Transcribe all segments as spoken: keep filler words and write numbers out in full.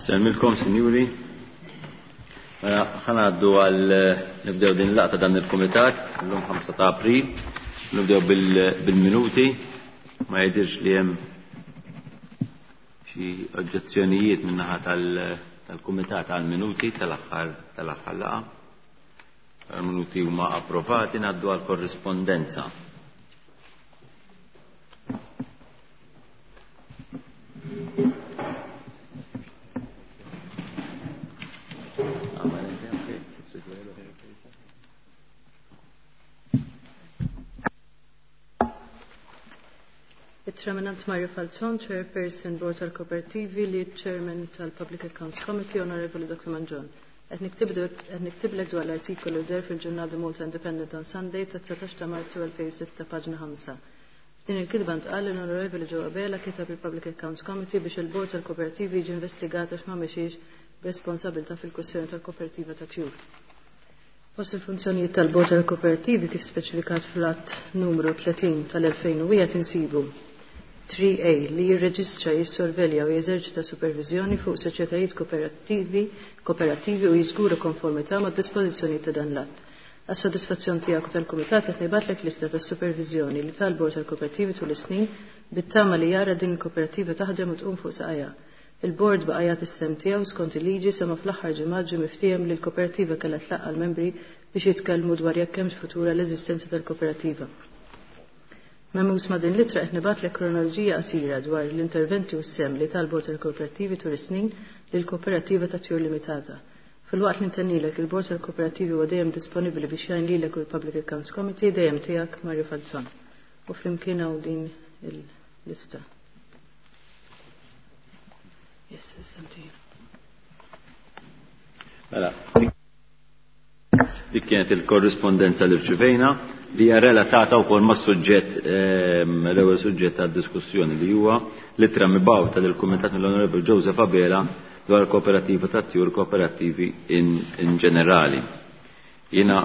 Nsellmilkom, sinjuri. Mela, ħa ngħaddu għal nibdew din laqgħa ta' dan il-kumitat, illum ħamsa ta' April. Nibdew bil-minuti. Ma jidhirx li hemm xi oġġezzjonijiet min-naħa tal-kumitat għall-minuti tal-aħħar tal-aħħar laqgħa. Il-minuti huma approvati, ngħaddu għall korrispondenza. Chairman Mario Falzon, Chairperson Board tal-Kooperativi, Lead Chairman tal-Public Accounts Committee, Honorable Doctor Mangion. Qed niktiblek dwar l-artikolu der fil-ġurnal The Malta Independent on Sunday ta' dsatax ta' Marzu elfejn u sitta, paġna ħamsa. F'din il-kitba ntqal li l-Onorevoli Joe Abela kitab il-Public Accounts Committee biex il-Bord tal-Kooperativi jiġi investigat għax ma mexiex b'responsabilità fil-kwestjoni tal-Kooperativa ta' Tjur. Fost il-funzjonijiet tal-Bord tal-Kooperativi kif speċifikat fl-att numru tletin tal-elfejn u wieħed insibu three A li jirreġistra, jissorvelja u jeżerċita supervizjoni fuq soċjetajiet kooperattivi, kooperattivi u jiżgura konformità mad dispożizzjoni ta' dan l-att. Għas-sodisfazzjon tiegħek u tal-Kumitat qed nibgħatlek lista ta' supervizjoni li tal-Bord tal-Kooperattivi tul is-snin bit-tama li jara din il-kooperativa taħdem u tqum fuq saqajha. Il-Bord baqa' jagħti s-sehem tiegħu skont il-liġi sa ma fl-aħħar ġimgħat ġie miftiehem li l-kooperativa kellha tlaqqa' l-membri biex jitkellmu dwar jekk hemmx futura l-eżistenza tal-kooperativa. Memus ma' din l-ittra qed nibgħatlek kronoloġija qasira dwar l-interventi u s-sehem li tal-Bord tal-Kooperattivi tul is-snin lil kooperativa ta' Tjur Limitata. Fil-waqt li ntennilek il-Bord tal-Kooperattivi huwa dejjem disponibbli biex jgħin lilek u l-Public Accounts Committee, dejjem tiegħek Mario Falzon. U flimkien hawn din il-lista. Yes, it's Mela, dik kienet il-korrispondenza li rċivejna li hija relatata wkoll mas-suġġett, l-ewwel suġġett tad-diskussjoni li huwa l-ittra mibgħuta lill-Kumitat mill-Onorevoli Joseph Abela dwar kooperativa ta' tjur kooperattivi in, in ġenerali. Jiena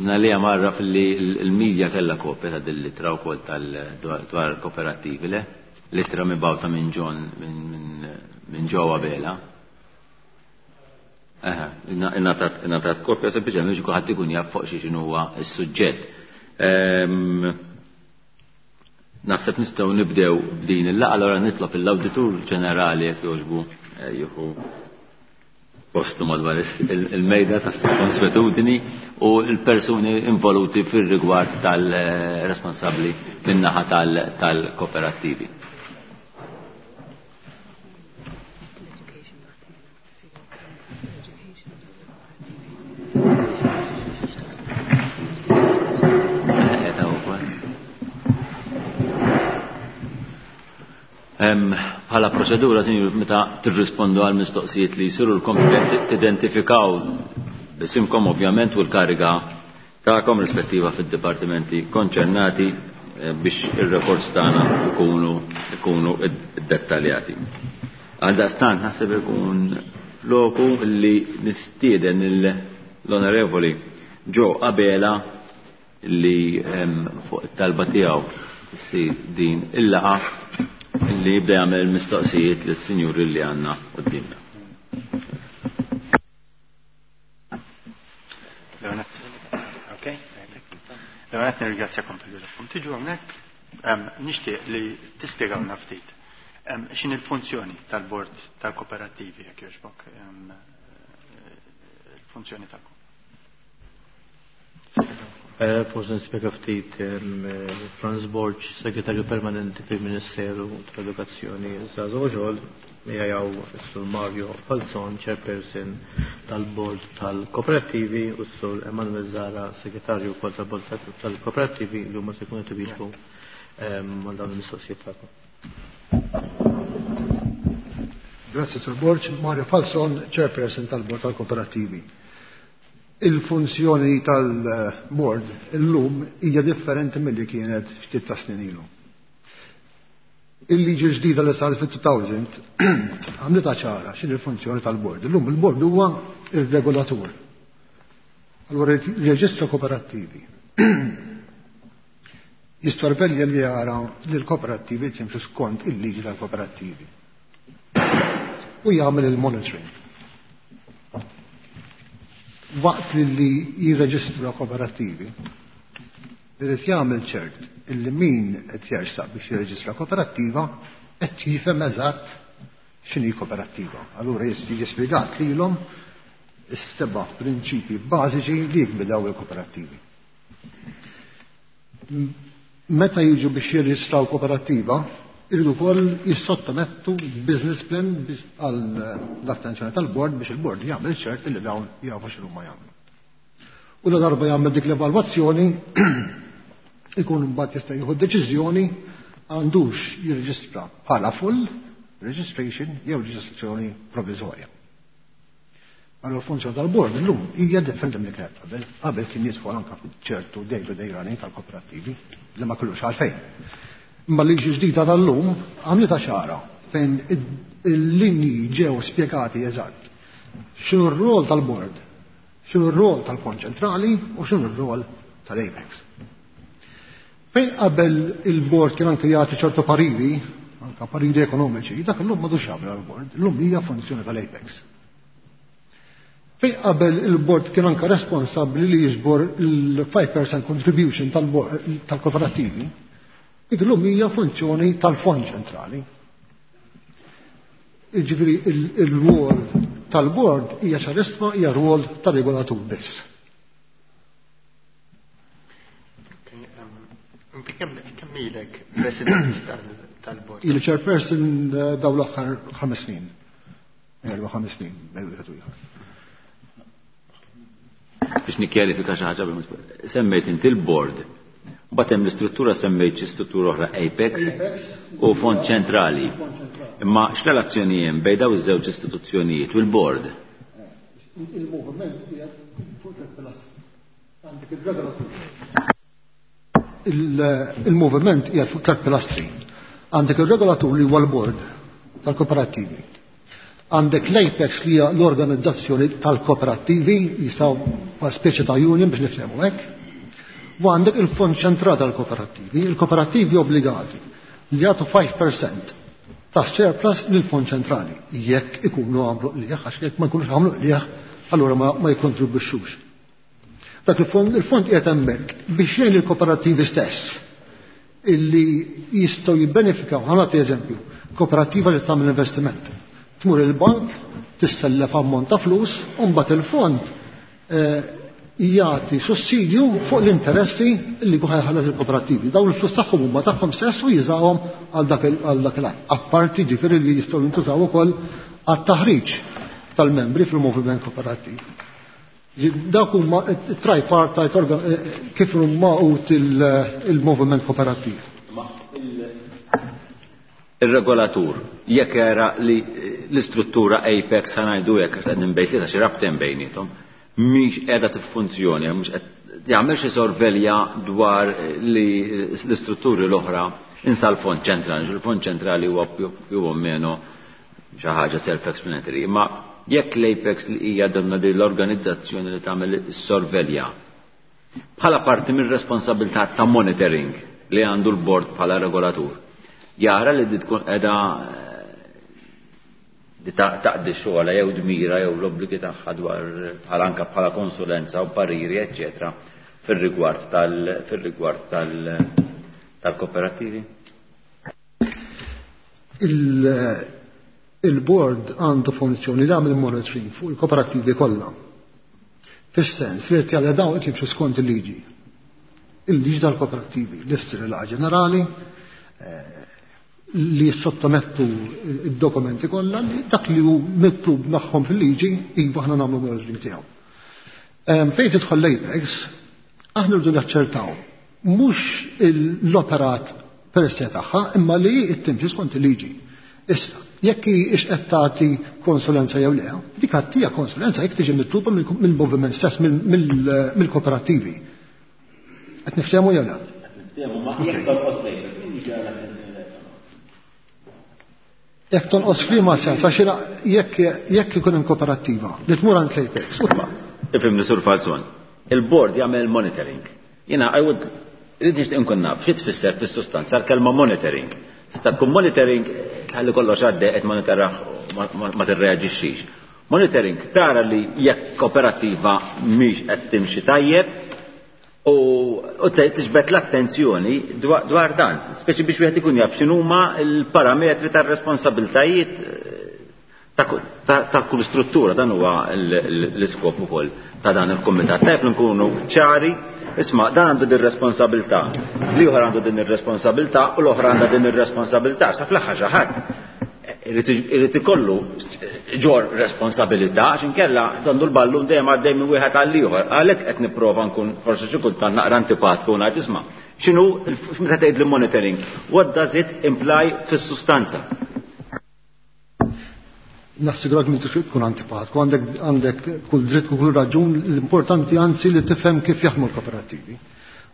nalija marra fil-li l-medja kellha kopja ta' din l-ittra wkoll tal dwar kooperattivi, le? L-ittra mibgħuta minn John minn minn Joe Abela. Aha, ingħatat kopja sempliċement biex kulħadd ikun jaf fuq xi x'inhu huwa s-suġġett. Naħseb nistgħu nibdew b'din il-laqgħa, allura nitlob l-Awditur Ġenerali jekk jogħġbu jieħu postu madwar il-mejda tas-konswetudini u l-persuni involuti fir-rigward tal-responsabbli min-naħa tal-kooperattivi. Bħala proċedura, sinjur, meta tirrispondu għal mistoqsijiet li jsirulkom tidentifikaw bisimkom ovvjament u l-kariga tagħkom rispettiva fid-dipartimenti konċernati biex ir-rekords tagħna ikunu ikunu iddettaljati. Għaldaqstant naħseb ikun loku li nistieden l-Onorevoli Joe Abela li fuq it-talba tiegħu ssir din il-laqgħa li jibda jagħmel il-mistoqsijiet lis-sinjuri li għandna quddiemna. Leonet, nirringrazzjakom tal-ġodda. Tiġu hawnhekk, nixtieq li tispjegawna ftit x'in il-funzjoni tal-Bord tal-Kooperattivi jekk jogħġbok, il-funzjoni tagħkom. Forse nispjega ftit, Franz Borg, Segretarju Permanenti fil-Ministeru tal-Edukazzjoni Żgħażagħ u Xogħol, miegħi s-Sur Mario Falzon, Chairperson tal-Bord tal-Kooperattivi, u s-Sur Emanuel Zara, Segretarju wkoll tal-Bord tal-Kooperattivi, li huma se jkunu qed iwieġbu għal dawn il-mistoqsijiet tagħkom. Grazie, Sur Borg. Mario Falzon, Chairperson tal-Bord tal-Kooperattivi. Il-funzjoni tal-board illum hija differenti milli kienet ftit ta' snin ilu. Il-liġi ġdida li saret fit-two thousand għamlitha ċara x'inhi l-funzjoni tal-board. Illum il-board huwa ir-regolatur. Allura reġistra kooperattivi. Jissorvelja li jara li l-kooperattivi jimxu skont il-liġi tal-kooperattivi. U jagħmel il-monitoring. Waqt li jirreġistra kooperattivi, irid jagħmel ċert illi min qed jersaq biex jirreġistra kooperattiva qed jifhem eżatt x'inhi kooperattiva. Allura jiġi spjegat lilhom is-seba' prinċipji bażiċi li jgwidaw il-kooperattivi. Meta jiġu biex jirreġistraw kooperattiva, iridu wkoll jissottomettu business plan għal l-attenzjoni tal-bord biex il-bord jagħmel ċert li dawn jafu x'inhuma jagħmlu. U la darba jagħmel dik l-evalwazzjoni ikun mbagħad jista' jieħu deċiżjoni għandux jirreġistra bħala full registration jew reġistrazzjoni provviżorja. Allora l-funzjoni tal-bord illum hija differenti milli kienet qabel. Qabel kien jidħol anke ċertu day to day running tal-kooperattivi li ma kellux għalfejn. Imma l-liġi ġdida tal-lum għamlitha ċara fejn il-linji ġew spjegati eżatt. X'inhu r-rol tal-bord, x'inhu r-rol tal-Fond Ċentrali u x'inhu r-rol tal-Apex. Fejn qabel il-bord kien anke jagħti ċertu pariri, anke pariri ekonomiċi, dak illum m'għadux jagħmel għall-bord, illum hija funzjoni tal-Apex. Fejn qabel il-bord kien anke responsabbli li jiġbor il-five percent contribution tal-kooperattivi, dik illum hija funzjoni tal-Fond Ċentrali. Jiġifieri il-rwol tal-bord hija ċarissima, hija rwol tar-regolatur biss. Kemm ilek president tal-bord? Ili chairperson dawn l-aħħar ħames snin. Erba' ħames snin, bejn wieħed u ieħor. Biex nikkjarifika xi ħaġa, semmejt inti l-bord. Mbagħad hemm l-istruttura, semmejt xi struttura oħra Apex u Fond Ċentrali. Imma x'relazzjoni hemm bejn dawn iż-żewġ istituzzjonijiet u l-bord? Il-moviment qiegħed fuq tliet pilastri. Għandek il-regolatur. Il-moviment qiegħed fuq tliet pilastri. Għandek il-regolatur li huwa l-bord tal-kooperattivi. Għandek l-Apex li hija l-organizzazzjoni tal-kooperattivi, jisaw ma' speċi ta' union biex nifhmu hekk. U għandek il-Fond Ċentrali tal-Kooperattivi, il-kooperattivi obbligati li jagħtu five percent ta' surplus lill-Fond Ċentrali jekk ikunu għamlu qligħ, għax jekk ma jkunux għamlu qligħ, allura ma, ma jikkontribwixxux. Dak il-fond, il-fond qiegħed hemmhekk biex jgħin il-kooperattivi stess illi jistgħu jibbenefikaw. Ħa nagħti eżempju, kooperattiva li tagħmel investiment. Tmur il-bank, tissellef ammont ta' flus, u mbagħad il-fond, eh, jagħti sussidju fuq l-interessi li jkun ħajħallas il-kooperattivi. Dawn il-flus tagħhom huma tagħhom stess u jużawhom għal dak il-, għal dak il-għan. Apparti ġifieri li jistgħu jintużaw ukoll għat-taħriġ tal-membri fil-moviment kooperattiv. Dak huma tripartite organ-, kif huma maqut il-moviment kooperattiv. Il-regolatur, jekk era li l-istruttura Apex ħanajdu jekk għax qed nbejt li ta' xi rabtien bejniethom, mhix qiegħda tiffunzjoni, mhux qed jagħmel xi sorvelja dwar li l-istrutturi l-oħra insa l-Fond Ċentrali, il-Fond Ċentrali huwa più o meno xi ħaġa self-explanatory, imma jekk l-Apex li hija donna din l-organizzazzjoni li tagħmel is-sorvelja bħala parti mir-responsabilità ta' monitoring li għandu l-bord bħala regolatur, jara li di tkun qiegħda li taqdi xogħla jew dmira jew l-obbligi tagħha dwar bħala anke bħala konsulenza u pariri, eċċetera, fir-rigward tal-, fir-rigward tal-, tal-kooperattivi? Il-, il-board għandu funzjoni li għamil monitoring fuq il-kooperattivi kollha. Fis-sens li qed jagħmel dawn qed jimxu skont il-liġi. Il-liġi tal-kooperattivi, l-istri ġenerali, eh, li sottomettu id-dokumenti kollha, li dak li hu mitlub magħhom fil-liġi, iva aħna nagħmlu monitoring tiegħu. Ehm, fejn tidħol l-Apex, aħna rridu naċċertaw mhux l-operat per se tagħha, imma li timxi skont il-liġi. Issa, jekk hi ix qed tagħti konsulenza jew le, dik għattija konsulenza jekk tiġi mitluba mill-moviment stess, mill-kooperattivi. Qed niftehmu jew le? Qed niftehmu, ma jekk tonqos l-Apex, min jiġi għal attenzjoni? Jekk tonqos f'liema sens, għax jiena jekk, jekk ikun hemm kooperattiva li tmur għand l-Apex, u tba'. Ifhimni Sur Falzon, il-board jagħmel monitoring. Jiena I would Irrid nixtieq inkun naf xi tfisser fis-sustanza l-kelma monitoring. Tista' tkun monitoring tħalli kollox għaddej qed monitorah ma tirreaġixxix. Monitoring tara li jekk kooperattiva mhix qed timxi tajjeb u tiġbed l-attenzjoni dwar dan, speċi biex wieħed ikun jaf x'inhuma l-parametri tar-responsabiltajiet ta' kull struttura. Dan huwa l-iskop ukoll ta' dan il-kumitat. Tajjeb li nkunu ċari, isma' dan għandu din responsabilità, l-ieħor għandu din ir-responsabilità u l-oħra għandha din ir-responsabilità. Sa fl-aħħar xi ħadd irid ikollu ġor responsabilità, għax inkella għandu l-ballun dejjem għaddej minn wieħed għal ieħor. Għalhekk qed nipprova nkun forsi xi kultant naqra antipatku u ngħid isma' x'inhu meta tgħid l-monitoring, what does it imply fis-sustanza? Nassigurak li tkun antipatku, għandek għandek kull dritt u kull raġun, l-importanti anzi li tifhem kif jaħdmu l-kooperattivi.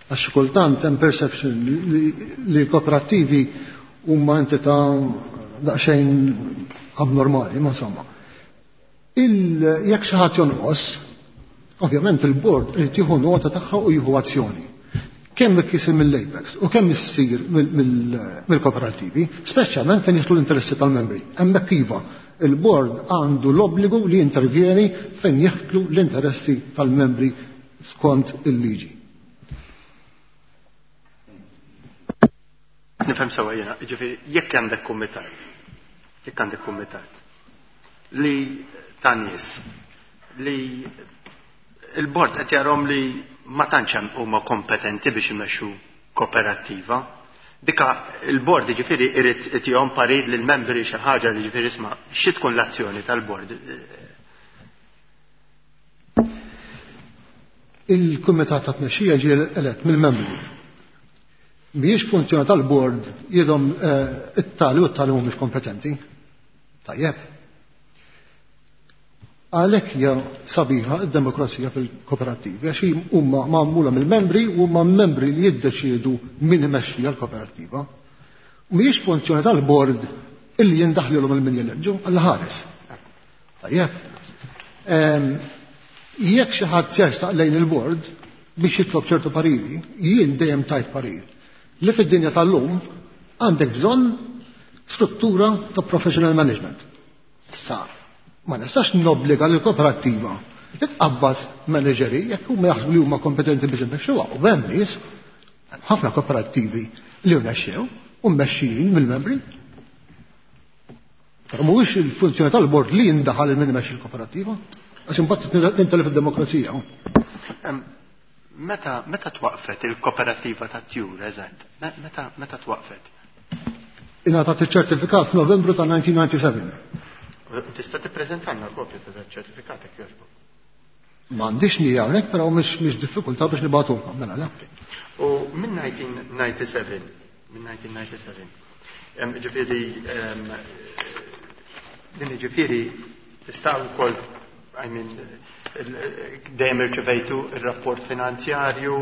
Għax kultant hemm perception li l-kooperattivi huma entità daqsxejn abnormali, ma insomma. Jekk xi ħadd jonqos, ovvjament il-bord irid jieħu nota tagħha u jieħu azzjoni. Kemm isir mill-Apex u kemm issir mill-kooperattivi, speċjalment fejn jidħlu l-interessi tal-membri. Hemmhekk iva, il-bord għandu l-obbligu li jintervjeni fejn jidħlu l-interessi tal-membri skont il-liġi. Nifhem sewwa jiena, jiġifieri jekk għandek kumitat, jekk għandek kumitat li ta' nies li il-bord qed jarhom li ma tantx hemm huma kompetenti biex imexxu kooperattiva, dika il-bord jiġifieri irid itihom parir lill-membri xi ħaġa li jiġifieri isma' xi tkun l-azzjoni tal-bord. Il-kumitat ta' tmexxija ġie elett mill-membri. Mhijiex funzjoni tal-bord jidhom it-tali u t-tali mhumiex kompetenti. Tajjeb. Għalhekk hija sabiħa d-demokrazija fil-kooperattivi, għax huma magħmula mill-membri u huma membri li jiddeċiedu min imexxi l-kooperattiva. Mhijiex funzjoni tal-bord illi jindaħlilhom il-min jeleġġu għal ħares. Tajjeb. Jekk xi ħadd jersaq lejn il-bord biex jitlob ċertu pariri, jien dejjem tajt parir li fid-dinja tal-lum għandek bżonn struttura ta' professional management. Sa, ma nistax nobbliga lill kooperattiva li tqabbad manageri jekk huma jaħsbu li huma kompetenti biex imexxuha. U hemm nies, ħafna kooperattivi li rnexxew u mmexxijin mill-membri. Però mhuwiex il-funzjoni tal-bord li jindaħal il min imexxi l-kooperattiva, għax imbagħad tintelef id-demokrazija. Meta meta twaqfet il-kooperattiva ta' Tjur, eżatt? Meta meta twaqfet? Ingħatat iċ-ċertifikat f'Novembru ta' nineteen ninety-seven. Tista' tippreżentanna kopja ta' dak ċertifikat jekk jogħġbok? M'għandix nija hawnhekk, però mhix mhix diffikultà biex nibgħatulkom, mela le. U minn nineteen ninety-seven, minn nineteen ninety-seven, ġifieri din ġifieri tista' wkoll, I mean, dejjem irċevejtu ir-rapport finanzjarju,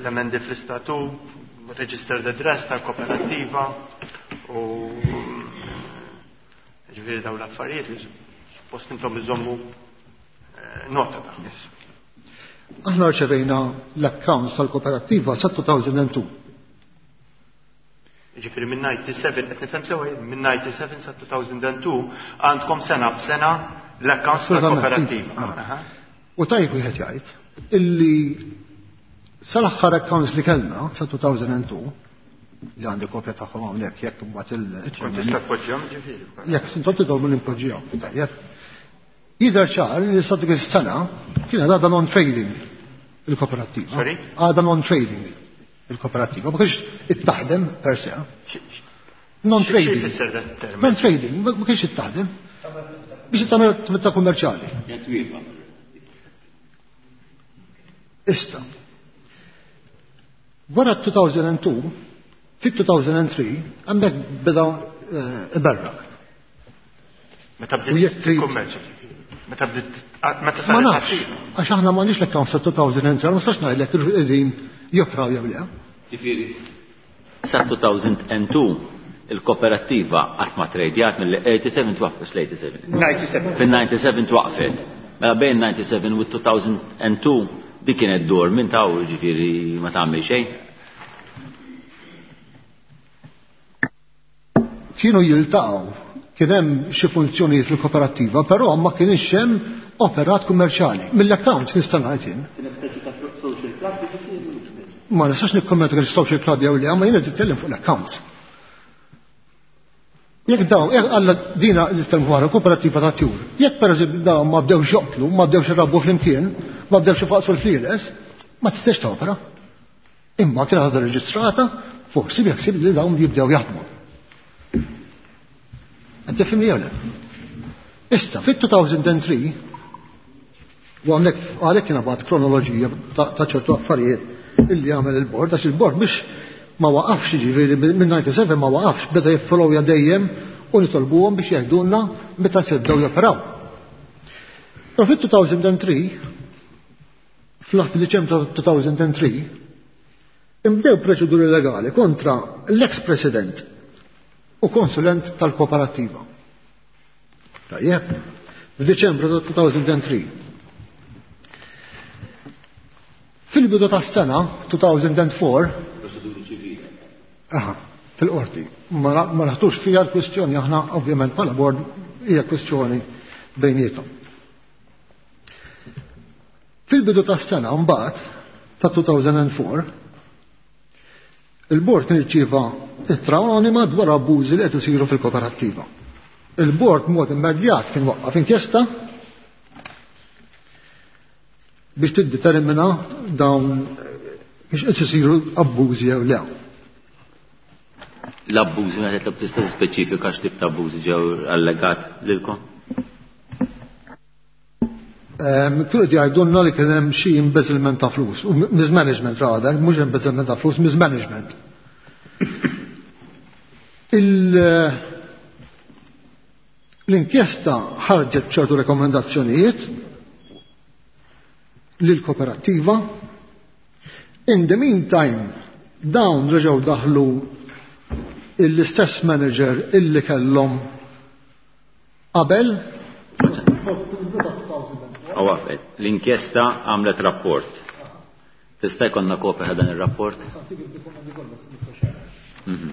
l-emendi fl-istatut, registered address tal-kooperattiva u ġifieri dawn l-affarijiet li suppost intom iżommu nota ta'. Aħna rċevejna l-accounts tal-kooperattiva sa two thousand and two. Ġifieri minn ninety-seven, qed nifhem sewa, minn ninety-seven sa two thousand and two għandkom sena b'sena l-accounts tal-kooperattiva. U tajjeb wieħed jgħid illi sal-aħħar accounts li kellna sa two thousand and two li għandi kopja tagħhom hawnhekk jekk imbagħad il- Tkun tista' tpoġġihom ġifieri. Jekk intom tidhom nimpoġġihom, tajjeb. Jidher ċar li sa dik is-sena kien għadha non-trading il-kooperattiva. Sorry? Għadha non-trading il-kooperattiva, ma kienx ittaħdem per se. Non-trading. Xi jfisser dat term? Non-trading, ma kienx ittaħdem. Biex tagħmel attività kummerċjali. Issa. Wara two thousand and two, fi two thousand and three, hemmhekk beda iberraq. Meta U jekk bdiet trid- kummerċ. Meta bdiet, meta Ma saret nafx, attiva. għax aħna m'għandniex l-accounts ta' two thousand and three, ma nistax ngħidlek kif qegħdin jopraw jew le. Ġifieri, sa two thousand and two il-kooperattiva qatt ma tradjat mill-eighty-seven twaqqfet l-eighty-seven. Ninety-seven. Fin-ninety-seven twaqqfet. Mela bejn ninety-seven u two thousand and two dik kienet dur minn taw, ġifieri ma tagħmel xejn. Kienu jiltaqgħu, kien hemm xi funzjonijiet fil-kooperattiva, però ma kienx hemm operat kummerċjali. Mill-accounts nista' ngħid jien. Ma nistax nikkommenta kien social club jew le, ma jiena nitkellem fuq l-accounts. Jekk dawn, jekk alla dina nitkellmu dwar kooperattiva ta' tjur, jekk pereżempju dawn ma bdewx joqtlu, ma bdewx irabbu flimkien, ma bdewx ifaqsu l-flieles, ma tistax topera. Imma kienet għadha reġistrata, forsi biħsib li dawn jibdew jaħdmu. Qed tifhimni jew le? Issa, fit-two thousand three, u għamlek għalhekk kien bagħat kronoloġija ta' ċertu affarijiet illi għamel il-bord, għax il-bord biex ma waqafx, ġifieri minn disgħa u disgħin ma waqafx, beda jiffollowja dejjem u nitolbuhom biex jgħidulna meta se jibdew joperaw. Però fit-two thousand three, fl-Diċembru ta' two thousand three, imbdew proċeduri legali kontra l-ex-president u konsulent tal-kooperattiva. Tajjeb, f'Diċembru ta' two thousand three. Fil-bidu ta' sena two thousand four, aha, fil-qorti, ma ma naħtux fija l-kwistjoni aħna ovvjament bħala bord, hija kwistjoni bejnietom. Fil-bidu ta' sena mbagħad ta' two thousand four, il-bord kien irċieva ittra anonima dwar abbużi li qed isiru fil-kooperattiva. Il-bord mod immedjat kien waqqaf inkjesta biex tiddetermina dawn biex qed isiru abbużi jew le. L-abbużi, meta titlob, tista' speċifika x'tip ta' abbużi ġew allegat lilkom? Ehm, Kienu qed jgħidulna li kien hemm xi embezzlement ta' flus, u mismanagement rather, mhux embezzlement ta' flus, mismanagement. Il- L-inkjesta ħarġet ċertu rekomendazzjonijiet lill-kooperattiva. In the meantime, dawn reġgħu daħlu l-istess manager illi kellhom qabel. Għawafet, l-inkjesta għamlet rapport. Tista' jkollna kopja ta' dan ir-rapport? Mhm.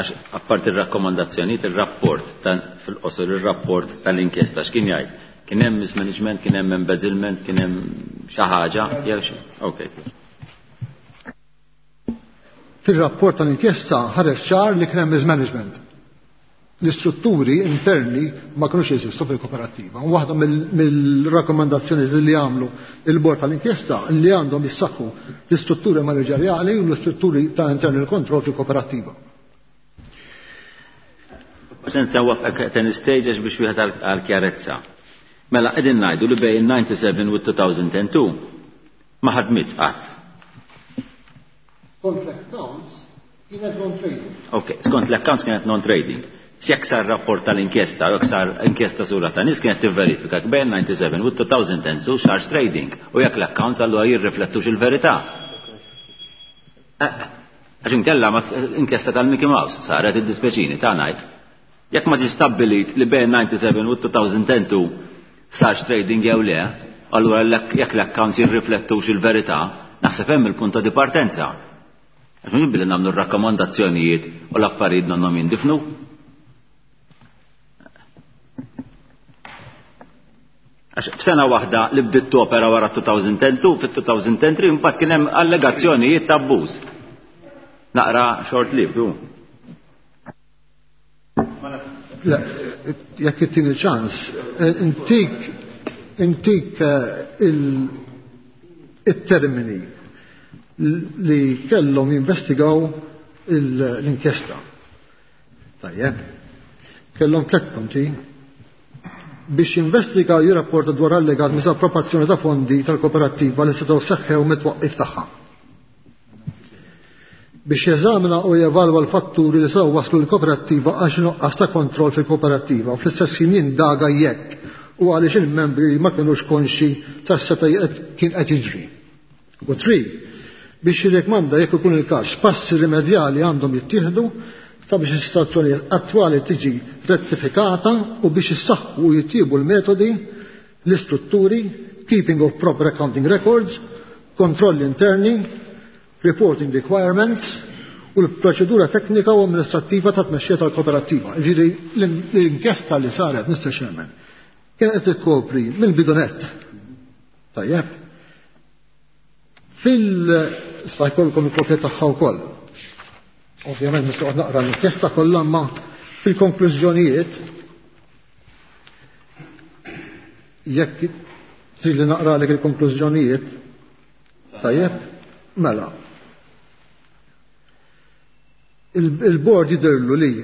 Għax apparti ir-rakkomandazzjonijiet, ir-rapport fil-qosor, ir-rapport tal-inkjesta x'kien jgħid? Kien hemm mismanagement, kien hemm embezzlement, kien hemm xi ħaġa, jew xi. Ok. Fil-rapport tal-inkjesta ħareġ ċar li kien hemm mismanagement. L-istrutturi interni ma kinux jeżistu fil-kooperattiva. U waħda mill-rakkomandazzjoni li għamlu il-bord tal-inkjesta li għandhom jissaħħu l-istrutturi manageriali u l-istrutturi ta' internal control fil-kooperattiva. Senza wafqek ten stage biex wieħed għal-kjarezza. Mela qegħdin ngħidu li bejn disgħa u disgħin u elfejn u tnejn ma ħadmitx qatt. Skont l-accounts kienet non-trading. Ok, skont l-accounts kienet non-trading. Jekk sar rapport tal-inkjesta, jekk sar inkjesta sura ta' nies kienet tivverifika bejn disgħa u disgħin u elfejn u tnejn sarx trading u jekk l-accounts allura jirriflettux il-verità. Għax inkella ma inkjesta tal-Mickey Mouse saret, id-dispeċini ta' ngħid. Jekk ma ġie stabbilit li bejn disgħa u disgħin u elfejn u tnejn sarx trading jew le, allura jekk l-accounts jirriflettux il-verità, naħseb hemm il-punt ta' dipartenza. Għax minn billi nagħmlu r-rakkomandazzjonijiet u l-affarijiet nonnhom jindifnu. Għax f'sena waħda li bdiet topera wara elfejn u tnejn, fit-elfejn u tlieta mbagħad kien hemm allegazzjonijiet ta' abbuż. Naqra short lived, du. Le, jekk ittini ċans, intik intik il-termini li kellhom jinvestigaw l-inkjesta. Tajjeb. Kellhom tliet punti: biex jinvestigaw, jirrapporta dwar allegat misappropriazzjoni ta' fondi tal-kooperattiva li setgħu seħħew mit-twaqqif tagħha. Biex jeżamina u jevalwa l-fatturi li sew waslu l-kooperattiva għax nuqqas ta' kontroll fil-kooperattiva u fl-istess ħin jindaga jekk u għaliex il-membri ma kinux konxi tas-seta kien qed jiġri. U three, biex jirrekmanda, jekk ikun il-każ, passi rimedjali għandhom jittieħdu sabiex is-situazzjoni attwali tiġi rettifikata u biex issaħħu u jittiebu l-metodi, l-istrutturi, keeping of proper accounting records, kontrolli interni, reporting requirements u l-proċedura teknika u amministrattiva ta' tmexxija tal-kooperattiva. Ġifieri l-inkjesta li saret, Mister Chairman, kienet qed tikkopri mill-bidu nett. Tajjeb. Fil sa jkollkom il-kopja tagħha wkoll. Ovvjament nistgħu naqra l-inkjesta kollha, ma fil-konklużjonijiet jekk trid li naqra lek il-konklużjonijiet, tajjeb, mela. Il-bord jidhirlu li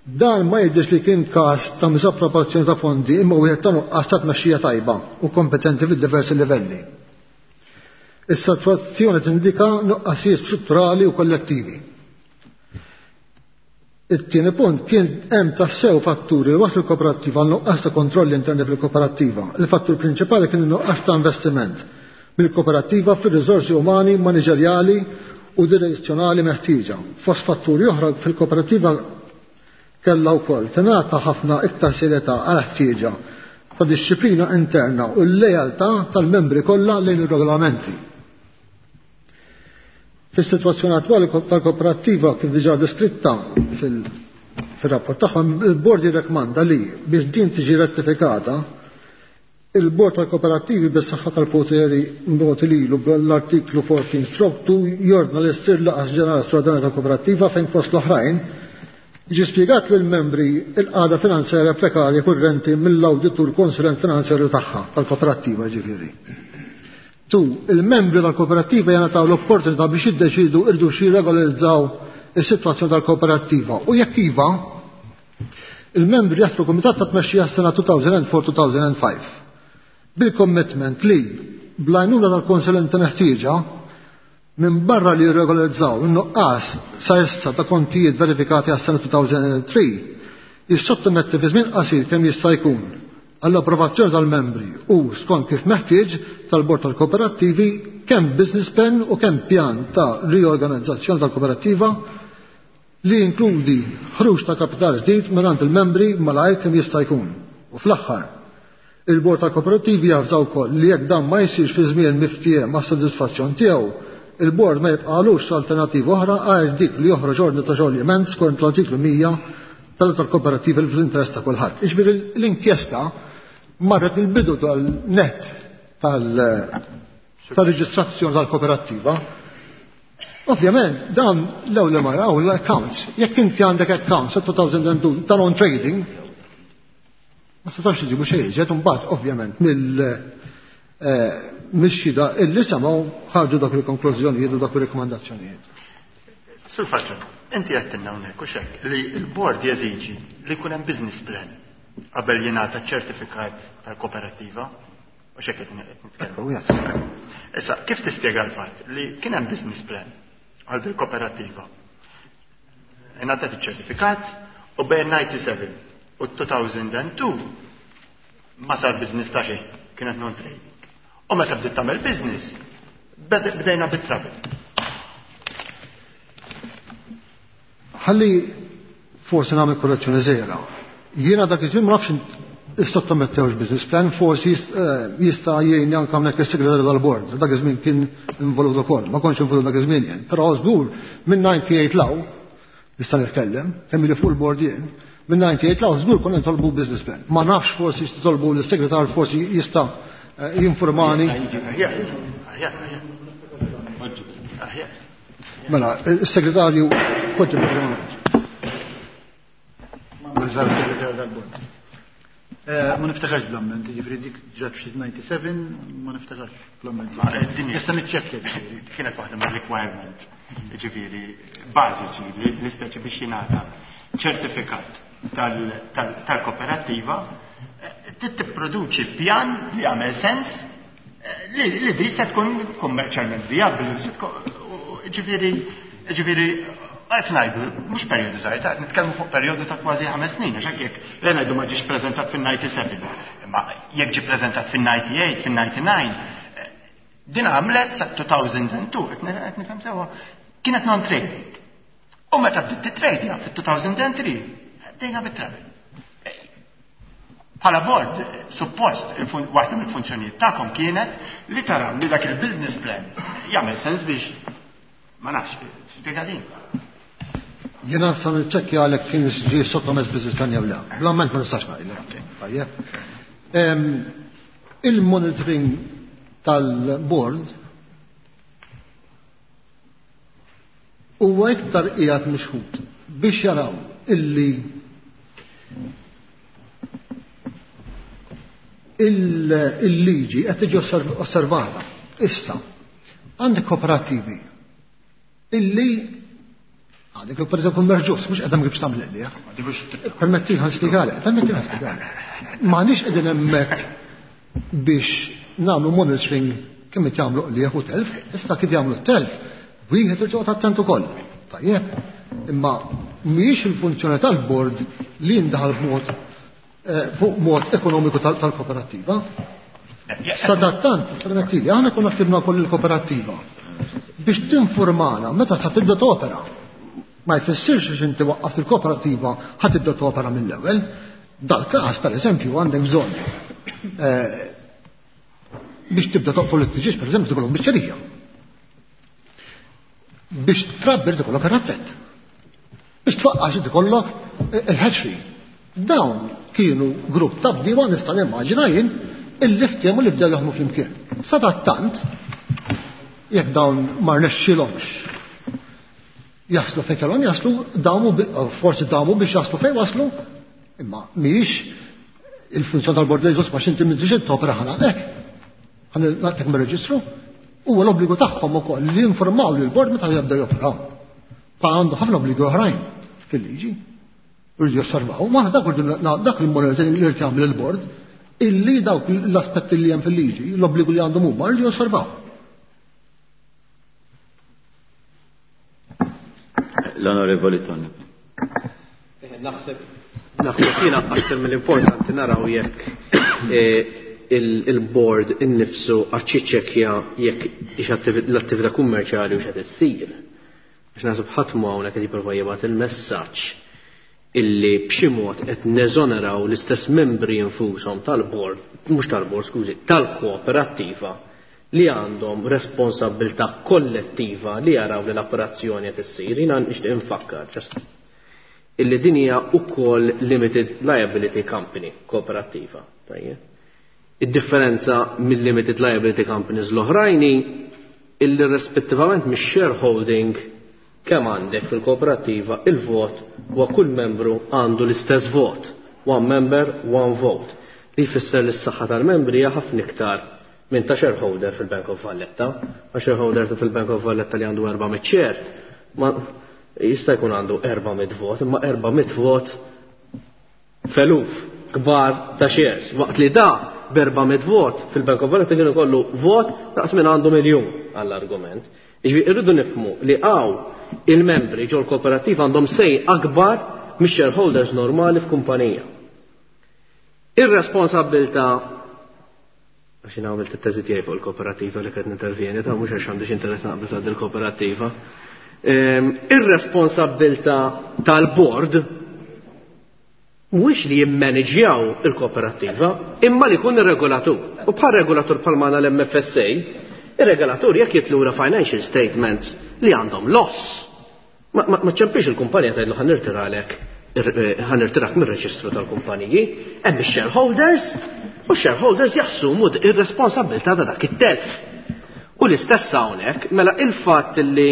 dan ma jidhirx li kien każ ta' misappropriazzjoni ta' fondi imma wieħed ta' nuqqas ta' tmexxija tajba u kompetenti fid-diversi livelli. Is-sitwazzjoni tindika nuqqasijiet strutturali u kollettivi. It-tieni punt kien hemm tassew fatturi li waslu l-kooperattiva għal nuqqas ta' kontrolli interni fil-kooperattiva. Il-fattur prinċipali kien in-nuqqas ta' investiment mill-kooperattiva fir-riżorsi umani, maniġerjali u direzzjonali meħtieġa. Fost fatturi oħra fil-kooperattiva kellha wkoll tingħata ħafna iktar serjetà għal ħtieġa ta' disċiplina interna u l-lealtà tal-membri kollha lejn ir-regolamenti. Fis-sitwazzjoni attwali tal-kooperattiva kif diġà deskritta fil-rapport tagħhom, il-bord jirrekmanda li biex din tiġi rettifikata, il-bord tal-kooperattivi bis-saħħa tal-poteri mogħti lilu bl-artiklu fourteen stroke two jordna li ssir laqgħa ġenerali straordinarja tal-kooperattiva fejn fost l-oħrajn jiġi spjegat lill-membri l-qagħda finanzjarja prekarja kurrenti mill-awditur konsulent finanzjarju tagħha tal-kooperattiva ġifieri. Tu, il-membri tal-kooperattiva jingħataw l-opportunità biex jiddeċidu irdu xi regolarizzaw is-sitwazzjoni tal-kooperattiva u jekk iva, il-membri jaħtru kumitat ta' tmexxija s-sena two thousand four two thousand five bil-commitment li bl-għajnuna tal-konsulenti meħtieġa minn barra li jirregolarizzaw in-nuqqas sa issa ta' kontijiet verifikati għas-sena two thousand three jissottometti fi żmien qasir kemm jista' jkun għall-approvazzjoni tal-membri u skont kif meħtieġ tal-bord tal-kooperattivi kemm business plan u kemm pjan ta' riorganizzazzjoni tal-kooperattiva li jinkludi ħruġ ta' kapital ġdid mingħand il-membri malajr kemm jista' jkun. U fl-aħħar, il-bord tal-kooperattivi javżaw ukoll li jekk dan ma jsirx fi żmien miftiehem ma' sodisfazzjon tiegħu, il-bord ma jibqalux alternativa oħra għajr dik li joħroġ ordni ta' xogħol skont l-artiklu mija tal-kooperattiva fl-interess ta' kulħadd. Jiġifieri l-inkjesta marret mill-bidu tal-net tal-reġistrazzjoni tal-kooperattiva. Ovvjament, dan l-ewwel li maraw l-accounts. Jekk inti għandek accounts sa two thousand two tal-on trading, ma setax iġibu xejn iżjed, imbagħad ovvjament mill, eh, mix-xhieda illi semgħu ħarġu dak il-konklużjonijiet u dak ir-rekomandazzjonijiet. Sur Falzon, inti għedtilna hawnhekk u x'hekk li l-bord jeżiġi li jkun hemm business plan qabel jingħata ċertifikat tal-kooperattiva, u x'hekk qed nitkellmu. Ekku, yes. Issa, kif tispjega l-fatt li kien hemm business plan għal bil-kooperattiva? Ingħatat iċ-ċertifikat u bejn ninety-seven u two thousand two ma sar business ta' xejn, kienet non-trading. U meta bdiet tagħmel business, bed-, bdejna bit-trouble. Ħalli forsi nagħmel korrezzjoni żgħira. Jiena dak iż-żmien ma nafx issottomettewx business plan, forsi jist-, eh, jista' jgħinni anke hawnhekk is-segretarju tal-bord. Dak iż-żmien kien involut ukoll, ma kontx involut dak iż-żmien jien. Però żgur minn ninety-eight law nista' nitkellem, kemm li fuq il-bord jien, minn ninety-eight law żgur konna nitolbu business plan. Ma nafx forsi titolbu lis-segretarju, forsi jista', eh, jinformani. Mela, is-segretarju kont informani. Mażar segretarju tal-bord. Eh, ma niftakarx bl-amment, ġifieri dik ġrat f'xi ninety-seven, ma niftakarx bl-amment. Ma, eh, din Issa niċċekkja ġifieri. Kienet waħda mar-requirement, ġifieri bażiċi li l-ispeċi biex jingħata ċertifikat tal-, tal-, tal-kooperattiva, eh, trid tipproduċi pjan li jagħmel sens, eh, li, li di se tkun kummerċjalment vijabbli, se tkun, ġifieri, ġifieri, qed ngħidu, mhux perjodu żgħir, qed nitkellmu fuq perjodu ta' kważi ħames snin, għax hekk jekk le ngħidu ma ġiex preżentat fin-ninety-seven, imma jekk ġie preżentat fin-ninety-eight, fin-ninety-nine, din għamlet sa two thousand two, qed ne-, qed nifhem sewwa, kienet non-trading. U meta bdiet titradja fit-two thousand three, bdejna bit-travel. Bħala board, suppost, il-fun-, waħda mill-funzjonijiet tagħkom kienet li taraw li dak il-business plan jagħmel sens biex ma nafx, spjega din. Jiena sa niċċekkja għalhekk kien ġie sottomess business plan jew le. Bl-amment ma nistax ngħidlek. Tajjeb. Il-monitoring tal-board huwa iktar qiegħed mixħut biex jaraw illi il-liġi qed tiġi osservata. Issa, għandek kooperattivi illi għandek kooperattivi kummerċ ġust, mhux qed biex tagħmel illi. Permetti ħa nispjegalek, permetti ħa nispjegalek. M'għandix qegħdin hemmhekk biex nagħmlu monitoring kemm qed jagħmlu qliegħ u telf, issa kif jagħmlu telf, wieħed irid joqgħod attent ukoll. Tajjeb, imma mhijiex il-funzjoni tal-bord li jindaħal b'mod fuq mod ekonomiku tal-kooperattiva. Sadattant, permettili, aħna konna ktibna wkoll il-kooperattiva biex tinformana meta sa tibda topera. Ma jfissirx biex inti waqqaft il-kooperattiva ħa tibda topera mill-ewwel. Dal-każ, pereżempju, għandek bżonn biex tibda toqfol it-tiġieġ, pereżempju, tikollok biċċerija. Biex trabbir tikollok ir-razzett. Biex tfaqqax tikollok il-hatchery. Dawn kienu grupp ta' bdiewa nista' nimmaġina jien illi ftehmu li bdew jaħdmu flimkien. Sadattant, jekk dawn ma rnexxilhomx jaslu fejn kellhom jaslu, damu forsi damu biex jaslu fejn waslu, imma mhijiex il-funzjoni tal-bord li ġust ma x'inti m'intix topera ħana hekk. Ħa nagħtik mir-reġistru, huwa l-obbligu tagħhom ukoll li jinformaw lill-bord meta jibdew joperaw. Pa għandu ħafna obbligi oħrajn fil-liġi. Irridu josservaw, ma dak dak il-monitoring li jrid jagħmel il-bord, illi dawk l-aspetti li hemm fil-liġi, l-obbligu li għandhom huma rridu josservaw. L-Onorevoli Tony. Naħseb naħseb jiena aktar mill-importanti naraw jekk il-board innifsu għad jiċċekkja jekk l-attività kummerċjali u x'qed issir. Għax naħseb ħadd mu hawnhekk qed jipprova jibgħat il-messaġġ illi b'xi mod qed neżoneraw l-istess membri infushom tal-bord, mhux tal-bord, skużi, tal-kooperattiva li għandhom responsabilità kollettiva li jaraw li l-operazzjoni qed issir. Jiena nixtieq infakkar ġast illi din hija wkoll limited liability company kooperattiva. Tajjeb. Id-differenza mill-limited liability companies l-oħrajn illi rispettivament mix-shareholding kemm għandek fil-kooperattiva il-vot huwa kull membru għandu l-istess vot. One member, one vote. Li jfisser li s-saħħa tal-membri hija ħafna iktar minn ta' shareholder fil-Bank of Valletta. Ma shareholder fil-Bank of Valletta li għandu erba' mitt share, ma jista' jkun għandu erba' mitt vot, imma erba' mitt vot feluf kbar ta' shares. Waqt li da b'erba' mitt vot fil-Bank of Valletta kien ikollu vot daqs minn għandu miljun għall-argument. Jiġifieri irridu nifhmu li hawn il-membri ġol kooperattiva għandhom sej akbar mix-shareholders normali f'kumpanija. Ir-responsabbiltà, għax jien għamilt it-teżi tiegħi fuq il-kooperattiva li qed nintervjeni, ta' mhux għax għandix interess naqbel ta' il-kooperattiva. Ir-responsabbiltà tal-board mhuwiex li jimmaneġjaw il-kooperattiva, imma li jkun ir-regolatur. U bħal regolatur bħal magħna l-M F S A, ir-regolatur jekk jitlura financial statements li għandhom loss. Ma, ma, ma ċempix il-kumpanija tgħidlu ħa nirtiralek, ħa nirtirak mir-reġistru tal-kumpaniji, hemm ix-shareholders, u x-shareholders jassumu ir-responsabilità ta' dak it-telf. U l-istess hawnhekk, mela il-fatt li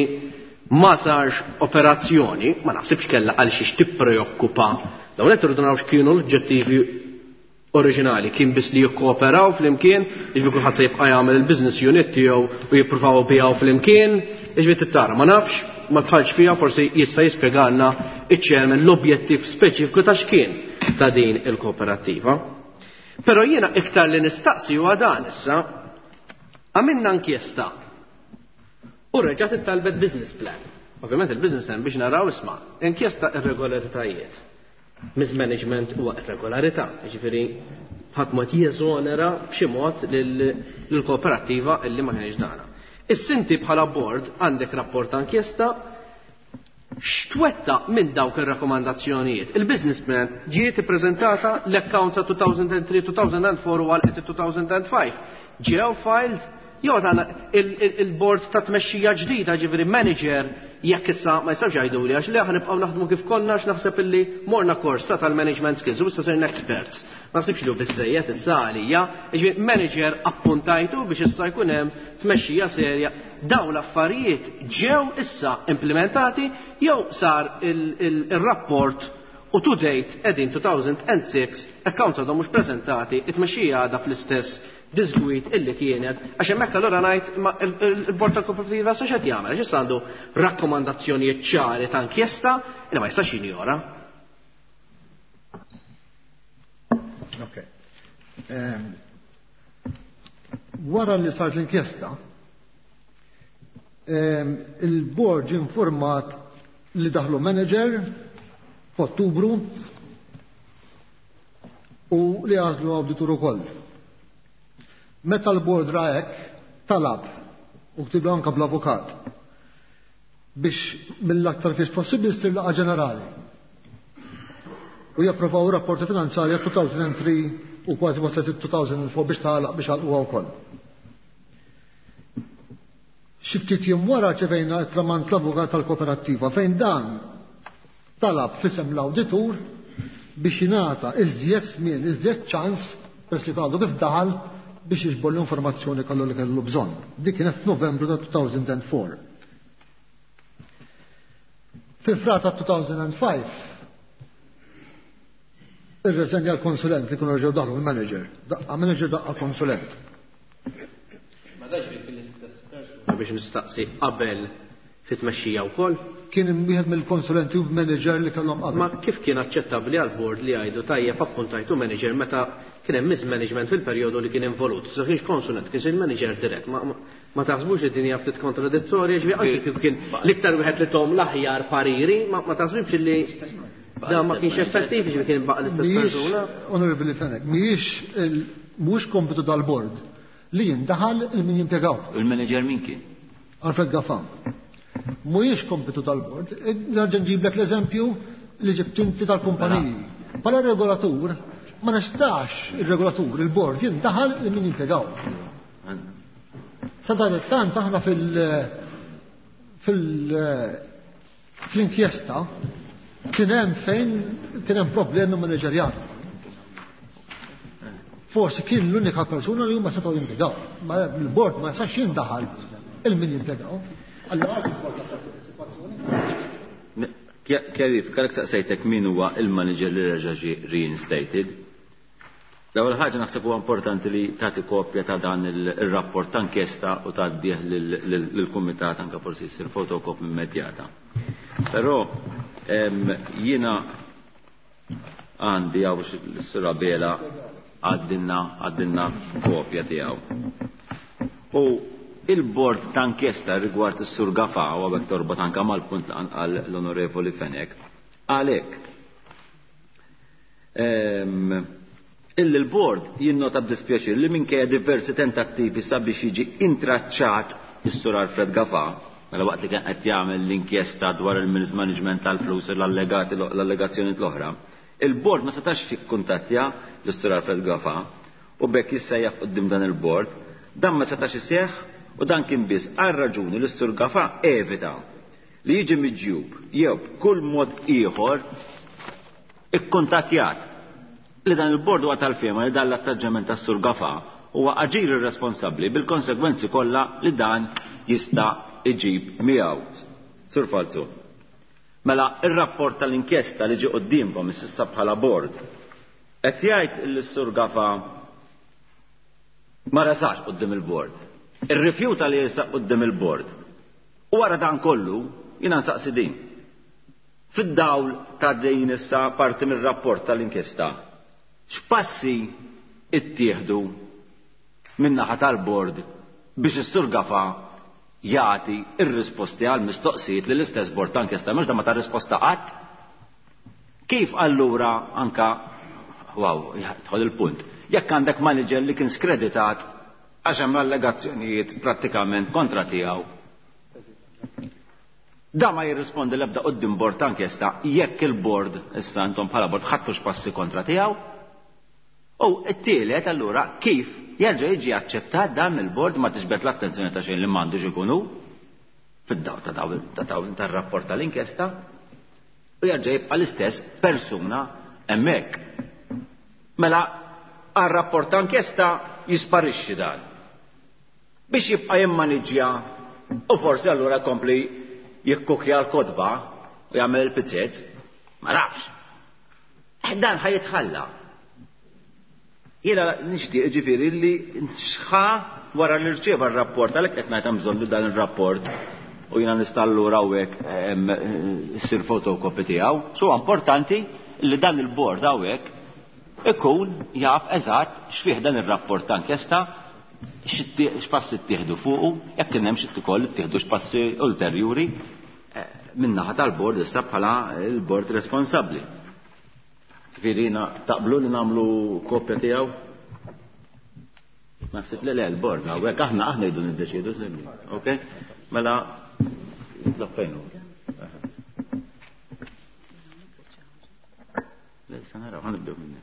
ma sarx operazzjoni, ma naħsibx kellha għal xiex tippreokkupa. Dawn qed irridu naraw x'kienu l-oġġettivi oriġinali, kien biss li jikkooperaw flimkien, jiġifieri kulħadd se jibqa' jagħmel il-business unit tiegħu u jippruvaw bijaw flimkien, jiġifieri tittara, ma nafx, ma tħallx fiha, forsi jista' jispjegalna iċ-chairman l-objettiv speċifiku ta' x'kien ta' din il-kooperattiva. Però jiena iktar li nistaqsi huwa dan issa, għamilna inkjesta u reġgħet ittalbet business plan. Ovvjament il-business plan biex naraw isma' inkjesta irregolaritajiet. Mismanagement huwa irregolarità, jiġifieri ħadd mod jeżonera b'xi mod lill-kooperattiva illi ma kienx dana. Is-sinti bħala board għandek rapport ta' inkjesta x'twettaq minn dawk ir-rakkomandazzjonijiet. Il-business plan ġiet ippreżentata l-accounts ta' two thousand and three, two thousand and four u għal two thousand and five. Ġew filed jew tagħna il-board ta' tmexxija ġdida, ġifieri manager Jekk issa ma jistgħux jgħiduli għax li aħna nibqgħu naħdmu kif konna għax naħseb illi morna kors ta' tal-management skills u issa sirna experts. Ma naħsibx li hu biżżejjed issa għalija, jiġifieri manager appuntajtu biex issa jkun hemm tmexxija serja. Dawn l-affarijiet ġew issa implementati jew sar il-rapport u to date qegħdin two thousand and six accounts għadhom mhux preżentati, it-tmexxija għadha fl-istess disgwit illi kienet, għax hemmhekk allura ngħid ma il-Bord tal-Kooperativa sa x'qed jagħmel, għax issa għandu rakkomandazzjonijiet ċari ta' inkjesta li ma jistax jinjora. Ok. Wara li sart l-inkjesta, il-bord ġie informat li daħlu manager f'Ottubru u li għażlu awditur ukoll. Meta l-bord ra hekk, talab u ktiblu anke bl-avukat biex mill-aktar fis possibbli ssir laqgħa ġenerali u japprovaw rapporti finanzjarji two thousand three u kważi waslet two thousand four biex tagħlaq biex għalquha wkoll. Xi ftit jiem wara ċevejna tramant l-avukat tal-kooperattiva fejn dan talab f'isem l-awditur biex jingħata iżjed żmien, iżjed ċans peress li għadu kif daħal biex jiġbor l-informazzjoni kollu li kellu bżonn. Dik kienet f'Novembru ta' two thousand and four. Fi frar ta' two thousand and five irreżenja l-konsulent li kienu reġgħu daħlu l-manager. Daqqa manager, daqqa konsulent. Ma dax li kien l-istess persuna biex nistaqsi qabel fit-tmexxija wkoll? Kien wieħed mill-konsulenti u manager li kellhom qabel. Ma kif kien aċċettabbli għall-bord li jgħidu tajjeb appuntajtu manager meta kien hemm mismanagement fil-perjodu li kien involut? Sa kienx konsulent, kien il manager dirett. Ma, ma, ma taħsbux li din hija ftit kontradittorja, ġifieri anki kif kien l-iktar wieħed li tom l-aħjar pariri, ma, ma taħsbux li da ma kienx effettiv, ġifieri kien baqa' l-istess persuna? Onorevoli Fenech, mhijiex mhux kompitu tal-bord li jindaħal il-min jimpjegaw. Il-manager min kien? Alfred Gafa. Mhuwiex kompitu tal-bord. Nerġa' nġiblek l-eżempju li ġibt inti tal-kumpaniji. Bħala regolatur, ma nistax il-regolatur, il-bord, jindaħal li min jimpjegaw. Sa dan it-tant aħna fil-, fil-, fl-inkjesta kien hemm fejn kien hemm problemi manageriali. Forsi kien l-unika persuna li huma setgħu jimpjegaw. Ma l-bord ma jistax jindaħal il-min jimpjegaw. Allora il-bord jasal fis-sitwazzjoni. Kjarifika, għalhekk saqsejtek min huwa il-manager li reġa' ġie reinstated. L-ewwel ħaġa naħseb huwa importanti li tagħti kopja ta' dan il-rapport ta' inkjesta u tgħaddih lill-kumitat anke forsi jsir fotokopja immedjata. Però jiena għandi hawn s-Sur Abela għaddilna għaddilna kopja tiegħu. U il-bord ta' inkjesta rigward is-Sur Gafa u għabek torbot anke mal-punt li qal l-Onorevoli Fenech, għalhekk illi l-bord jinnota b'dispjaċir li minkejja diversi tentattivi sabiex jiġi intraċċat is-Sur Alfred Gafa, mela waqt li kien qed jagħmel l-inkjesta dwar il-mismanagement tal-flus u l-allegati l-allegazzjonijiet l-oħra, il-bord ma setax jikkuntattja l-Sur Alfred Gafa u bekk jissejjaħ quddiem dan il-bord, dan ma setax iseħħ u dan kien biss għal raġuni li s-Sur Gafa evita li jiġi miġjub jew b'kull mod ieħor ikkuntattjat. Li dan il-bord huwa tal-fehma li dan l-attaġġament tas-Sur Gafa huwa aġir irresponsabbli bil-konsegwenzi kollha li dan jista' iġib miegħu. Sur Falzon. Mela ir-rapport tal-inkjesta li ġie quddiemkom issa bħala bord qed jgħid li s-Sur Gafa ma resax quddiem il-bord. Irrifjuta li jersaq quddiem il-bord. U wara dan kollu jiena nsaqsi din. Fid-dawl ta' din issa parti mir-rapport tal-inkjesta, x'passi ittieħdu min-naħa tal-bord biex is-Sur Gafa jagħti r-risposti għal mistoqsijiet li l-istess bord ta' inkjesta mhux da ma ta' risposta qatt? Kif allura anka, wow, jidħol il-punt, jekk għandek manager li kien skreditat għax hemm allegazzjonijiet prattikament kontra tiegħu, da ma jirrispondi l-ebda quddiem bord ta' inkjesta jekk il-bord issa intom bħala bord ħadtux passi kontra tiegħu? U t-tielet allura kif jerġa' jiġi aċċettat dan mill-bord ma tiġbed l-attenzjoni ta' xejn li m'għandux ikunu fid-dawl ta' dawn tar-rapport tal-inkjesta u jerġa' jibqa' l-istess persuna hemmhekk. Mela għar-rapport ta' inkjesta jisparixxi dan. Biex jibqa' jimmaniġġja u forsi allura jkompli jikkukja l-kotba u jagħmel il-pizzet, ma nafx. Dan ħa jitħalla. Jiena nixtieq ġifieri li xħa wara li rċieva r-rapport, għalhekk qed ngħid hemm bżonn li dan ir-rapport u jiena nista' allura hawnhekk issir fotokopi tiegħu. So importanti li dan il-bord hawnhekk ikun jaf eżatt x'fih dan ir-rapport ta' inkjesta, x'passi ttieħdu fuqu, jekk kien hemm xi ukoll ittieħdu x'passi ulterjuri min-naħa tal-bord issa bħala l-bord responsabbli. Ġifieri taqblu li nagħmlu kopja tiegħu? Naħseb li le l-bord hawnhekk aħna aħna jdu niddeċiedu sejmi. Okej? Mela nitlob fejn hu. Le sa naraw, ħa nibdew minni.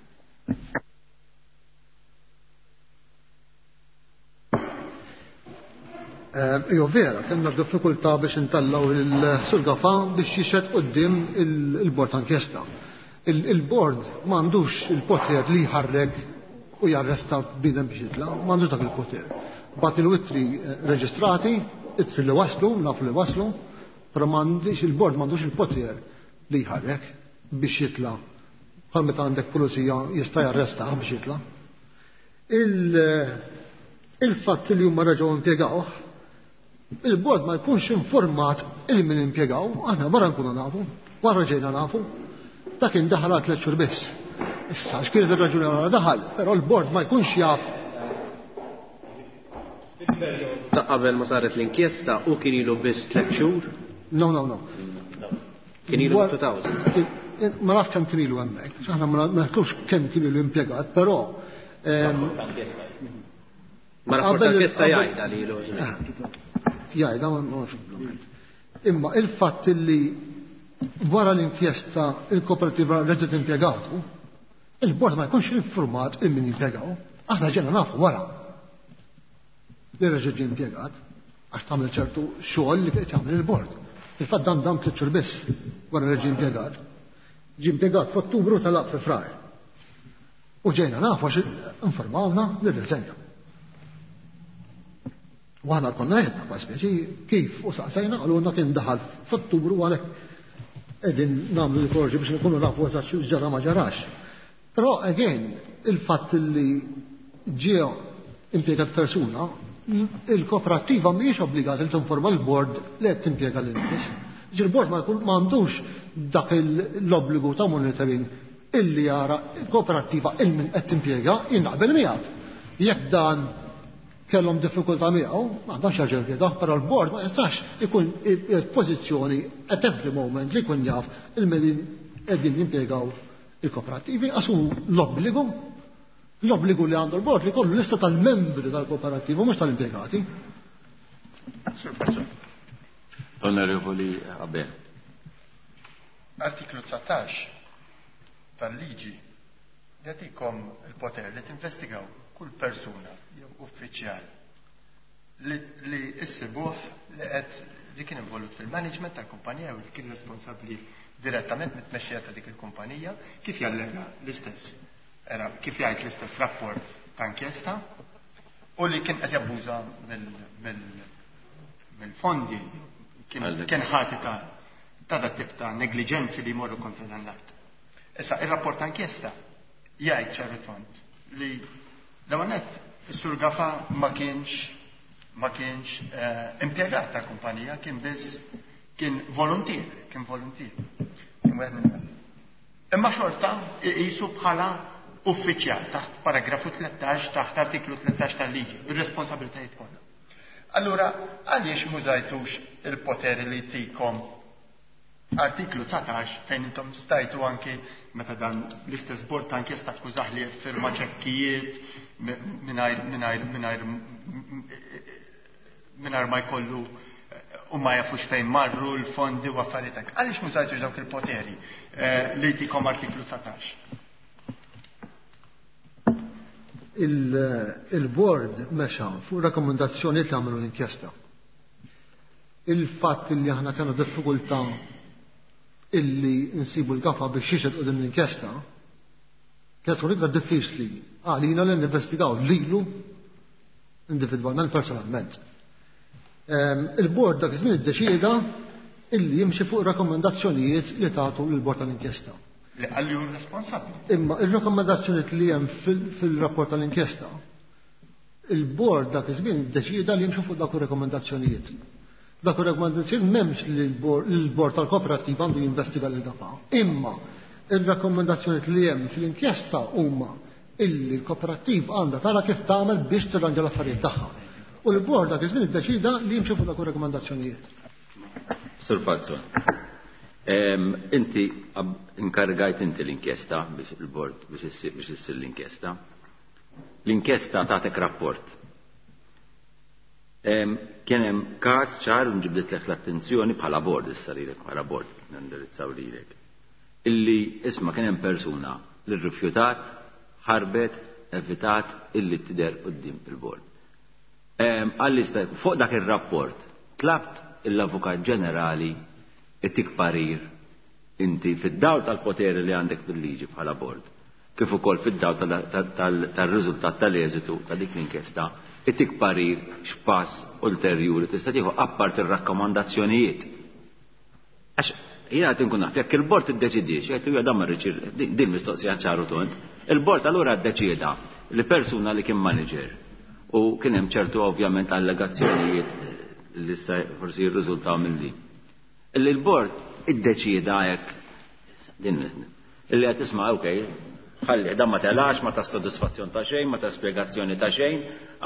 Ijo vera, kellna diffikultà biex intallaw il-Sur Gafa biex jixhed quddiem il-bord ta' inkjesta. Il-bord m'għandux il-poter li jħarrek u jarresta bniedem biex jitla', m'għandux dak il-poter. Bagħtilu ittri reġistrati, ittri li waslu, nafu li waslu, però m'għandix il-bord m'għandux il-poter li jħarrek biex jitla'. Bħal meta għandek pulizija jista' jarresta biex jitla'. Il-fatt li huma reġgħu impjegawh, il-bord ma jkunx informat il min impjegaw, aħna wara nkunu nafu, wara ġejna nafu, dak kien daħal għal tliet xhur biss. Issa x'kienet ir-raġuni għala daħal, però l-bord ma jkunx jaf. Ta' qabel ma saret l-inkjesta u kien ilu biss tliet xhur? No, no, no. Kien ilu two thousand. Ma nafx kemm kien ilu hemmhekk, aħna ma nafux kemm kien ilu impjegat, però ma rapport inkjesta jgħidha li ilu. Jgħidha ma nafx. Imma il-fatt li wara l-inkjesta il-kooperativa reġgħet impjegatu, il-bord ma jkunx informat il min impjegaw, aħna ġejna nafu wara li reġgħet ġie impjegat għax tagħmel ċertu xogħol li qed jagħmel il-bord. Il-fatt dan dam tliet xhur biss wara li ġie impjegat. Ġie impjegat f'Ottubru talaq fi Frar. U ġejna nafu għax informawna li rriżenja. U aħna konna għedna kwa speċi kif u saqsajna qalulna kien daħal f'Ottubru għalhekk qegħdin nagħmlu l-korġi biex nkunu nafu eżatt x'ġara ma ġarax. Però again, il-fatt li ġie impjegat persuna, il-kooperativa mhijiex obbligata li tinforma l-bord li qed timpjega lil nies. Il-bord ma għandux dak l-obbligu ta' monitoring illi jara kooperativa il min qed timpjega, jien naqbel miegħek. Jekk dan kellhom diffikultà miegħu, ma għandhomx jerġa' jimpjegaw, però l-bord ma jistax ikun pożizzjoni at every moment li jkun jaf il-min qegħdin jimpjegaw il-kooperativi, għax hu l-obbligu l-obbligu li għandu l-bord li kollu lista tal-membri tal-kooperattiva mhux tal-impjegati. Onorevoli Abel. Artiklu dsatax tal-liġi jagħtikom il-poter li tinvestigaw kull persuna jew uffiċjal li, li issibuh li qed li kien involut fil-management tal-kumpanija u li kien responsabbli direttament mit-tmexxija ta' dik il-kumpanija, kif jallega l-istess era kif jgħid l-istess rapport ta' inkjesta u li kien qed jabbuża mill-fondi, kien ħati ta' ta' dat tip ta' negliġenzi li jmorru kontra dan l-att. Issa, ir-rapport ta' inkjesta jgħid ċaru tond li l-ewwel nett is-Sur Gafa ma kienx ma kienx impjegat tal-kumpanija, kien biss kien volontier, kien volontier. Kien wieħed minn Imma xorta iqisu bħala uffiċjal taħt paragrafu tlettax taħt artiklu tlettax tal-liġi, ir-responsabilitajiet kollha. Allura, għaliex mużajtux il-poteri li tikom artiklu dsatax fejn intom stajtu anki meta dan l-istess bord ta' inkjesta akkużah li firma ċekkijiet mingħajr mingħajr mingħajr mingħajr ma jkollu u ma jafux fejn marru l-fondi u affarijiet hekk. Għaliex mużajtux dawk il-poteri li tikom artiklu dsatax? Il-bord mexa fuq rakkomandazzjonijiet li għamlu l-inkjesta. Il-fatt li aħna kellna diffikultà illi nsibu l-Gafà biex jixhed quddiem l-inkjesta kienet tkun iktar diffiċli għalina li ninvestigaw lilu individwalment, personalment. Il-bord dak iż-żmien iddeċieda illi jimxi fuq rakkomandazzjonijiet li tagħtu lill-bord tal-inkjesta. Li qalli hu responsabbli. Imma ir-rakkomandazzjonijiet li hemm fil-rapport tal-inkjesta, il-bord dak iż-żmien iddeċieda li jimxu fuq dak ir-rakkomandazzjonijiet. Dak ir-rakkomandazzjonijiet m'hemmx li l-bord tal-kooperattiva għandu jinvestiga lil Gafà. Imma ir-rakkomandazzjonijiet li hemm fl-inkjesta huma illi l-kooperattiva għandha tara kif tagħmel biex tirranġa l-affarijiet tagħha. U l-bord dak iż-żmien iddeċida li jimxi fuq dak ir-rakkomandazzjonijiet. Sur Falzon, inti inkargajt inti l-inkjesta biex il-bord biex issir l-inkjesta. L-inkjesta tagħtek rapport. Kien hemm każ ċar u nġibditlek l-attenzjoni bħala bord issa lilek bħala bord nindirizzaw lilek. Illi isma' kien hemm persuna li rrifjutat, ħarbet, evitat illi tidher quddiem il-bord. Għalli fuq dak ir-rapport tlabt l-Avukat Ġenerali itik parir inti fid-dawl tal-poteri li għandek bil-liġi bħala bord, kif ukoll fid-dawl tal-riżultat tal-eżitu ta' dik l-inkjesta, itik parir x'pass ulterjuri tista' tieħu appart ir-rakkomandazzjonijiet. Għax jiena qed inkun naf jekk il-bord iddeċidiex, jgħid huwa dan ma rridx din mistoqsija ċaru tont, il-bord allura ddeċieda li persuna li kien manager u kien hemm ċertu ovvjament allegazzjonijiet li issa forsi jirriżultaw minn din. Illi l-bord iddeċieda hekk din illi qed tisma' okej, ħalli dan ma telax, ma ta' sodisfazzjon ta' xejn, ma ta' spjegazzjoni ta' xejn,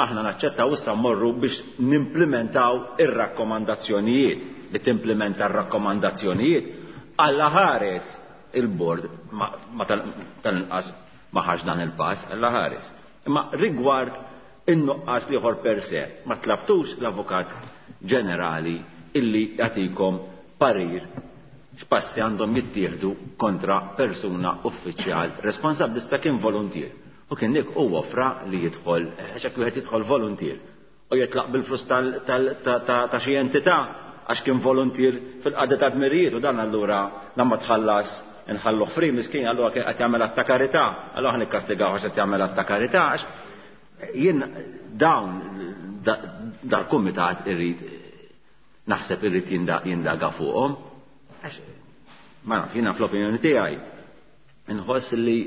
aħna naċċettaw issa mmorru biex nimplementaw ir-rakkomandazzjonijiet. Li timplementa r-rakkomandazzjonijiet alla ħares il-bord ma tal-inqas ma ħax dan il-pass, alla ħares. Imma rigward in-nuqqas liħor per se, ma tlabtux l-Avukat Ġenerali illi jagħtikom parir x'passi għandhom jittieħdu kontra persuna uffiċjal responsabbli sta kien volontier. U kien dik huwa offra li jidħol, għax hekk wieħed jidħol volontier u jitlaq bil-flus ta' xi entità għax kien volontier fil-qagħda ta' dmirijiet u dan allura lamma tħallas inħalluh free miskin allura kien qed jagħmel att ta' karità, allura aħna nikkastigaw għax qed jagħmel att ta' karità għax jien dawn dal-kumitat irrid naħseb irrid jindaga fuqhom. Għax ma naf, jiena fl-opinjoni tiegħi inħoss li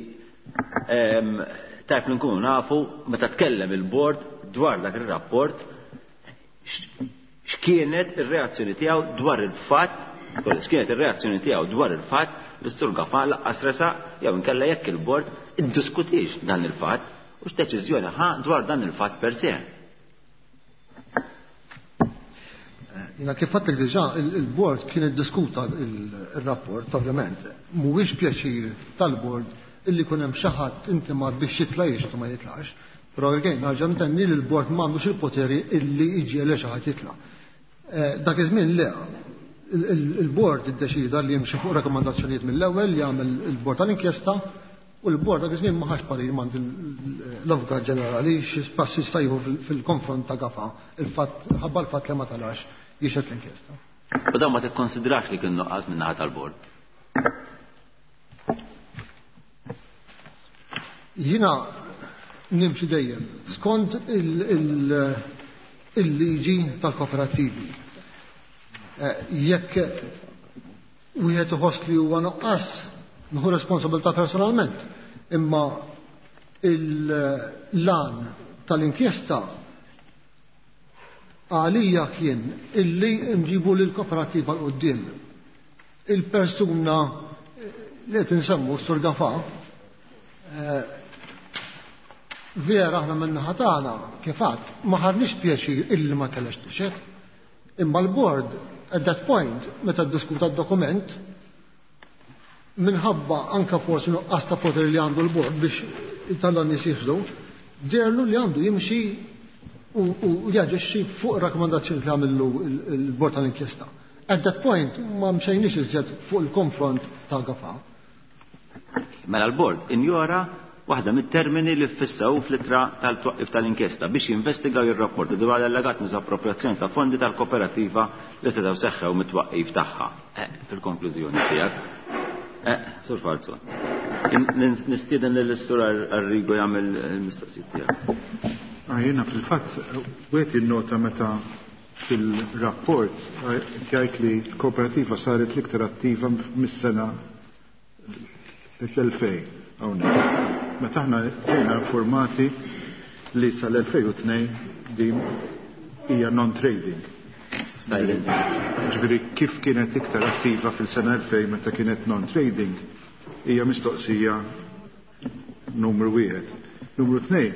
tajb li nkunu nafu meta tkellem il-bord dwar dak ir-rapport x'kienet ir-reazzjoni tiegħu dwar il-fatt, x'kienet ir-reazzjoni tiegħu dwar il-fatt li s-Sur Gafà laqqas resaq jew inkella jekk il-bord iddiskutix dan il-fatt u x'deċiżjoni ħa dwar dan il-fatt per se. Jina kif għedtlek diġà, il-bord kien iddiskuta il-rapport, ovvjament. Mhuwiex pjaċir tal-bord illi jkun hemm xi ħadd intimat biex jitla' jixtru ma jitlax. Però again, nerġa' ntenni li l-bord m'għandux il-poteri illi jġiegħel xi ħadd jitla'. Dak iż-żmien le, il-bord iddeċida li jimxi fuq rakkomandazzjonijiet mill-ewwel li jagħmel il-bord tal-inkjesta u l-bord dak iż-żmien ma ħax parir m'għand l-Avukat Ġenerali xi passi jista' jieħu fil-konfront ta' Gafà, il-fatt ħabba l-fatt li ma talax jixhed l-inkjesta. U dan ma tikkonsidrax li kien nuqqas minn naħa tal-bord? Jiena nimxi dejjem skont il-liġi tal-kooperattivi. Jekk wieħed iħoss li huwa nuqqas, nieħu responsabilità personalment, imma il-lan tal-inkjesta għalija kien illi nġibu lill-kooperattiva l quddiem. Il-persuna li qed insemmu s-Sur Gafà, vera aħna min-naħa tagħna kif għadd ma ħadniex pjaċir illi ma kellx tixed, imma l-bord at that point meta ddiskuta d-dokument minħabba anka forsi nuqqas ta' poteri li għandu l-bord biex italla nies jifdu, derlu li għandu jimxi u jaġixxi fuq rakkomandazzjoni li għamillu il-bord tal-inkjesta. At that point ma mxejniex iżjed fuq il-konfront ta' Gafà. Mela l-bord injora Waħda mit-termini li ffissaw fl-ittra tal-twaqqif tal-inkjesta biex jinvestigaw jirrapporti dwar allegat misappropriazzjoni ta' fondi tal-kooperativa li setgħu seħħew mit-twaqqif tagħha. Eh, fil-konklużjoni tiegħek. Eh, Sur Falzon. Nistieden lil Sur Arrigo jagħmel il-mistoqsijiet tiegħek. Ah, jiena fil-fatt wieħed jinnota meta fil-rapport jgħid li l-kooperativa saret l-iktar attiva mis-sena l-elfejn hawnhekk. Meta aħna ġejna informati li sal-elfejn u tnejn din hija non-trading. Ġifieri kif kienet iktar attiva fil-sena elfejn meta kienet non-trading hija mistoqsija numru wieħed. Numru tnejn,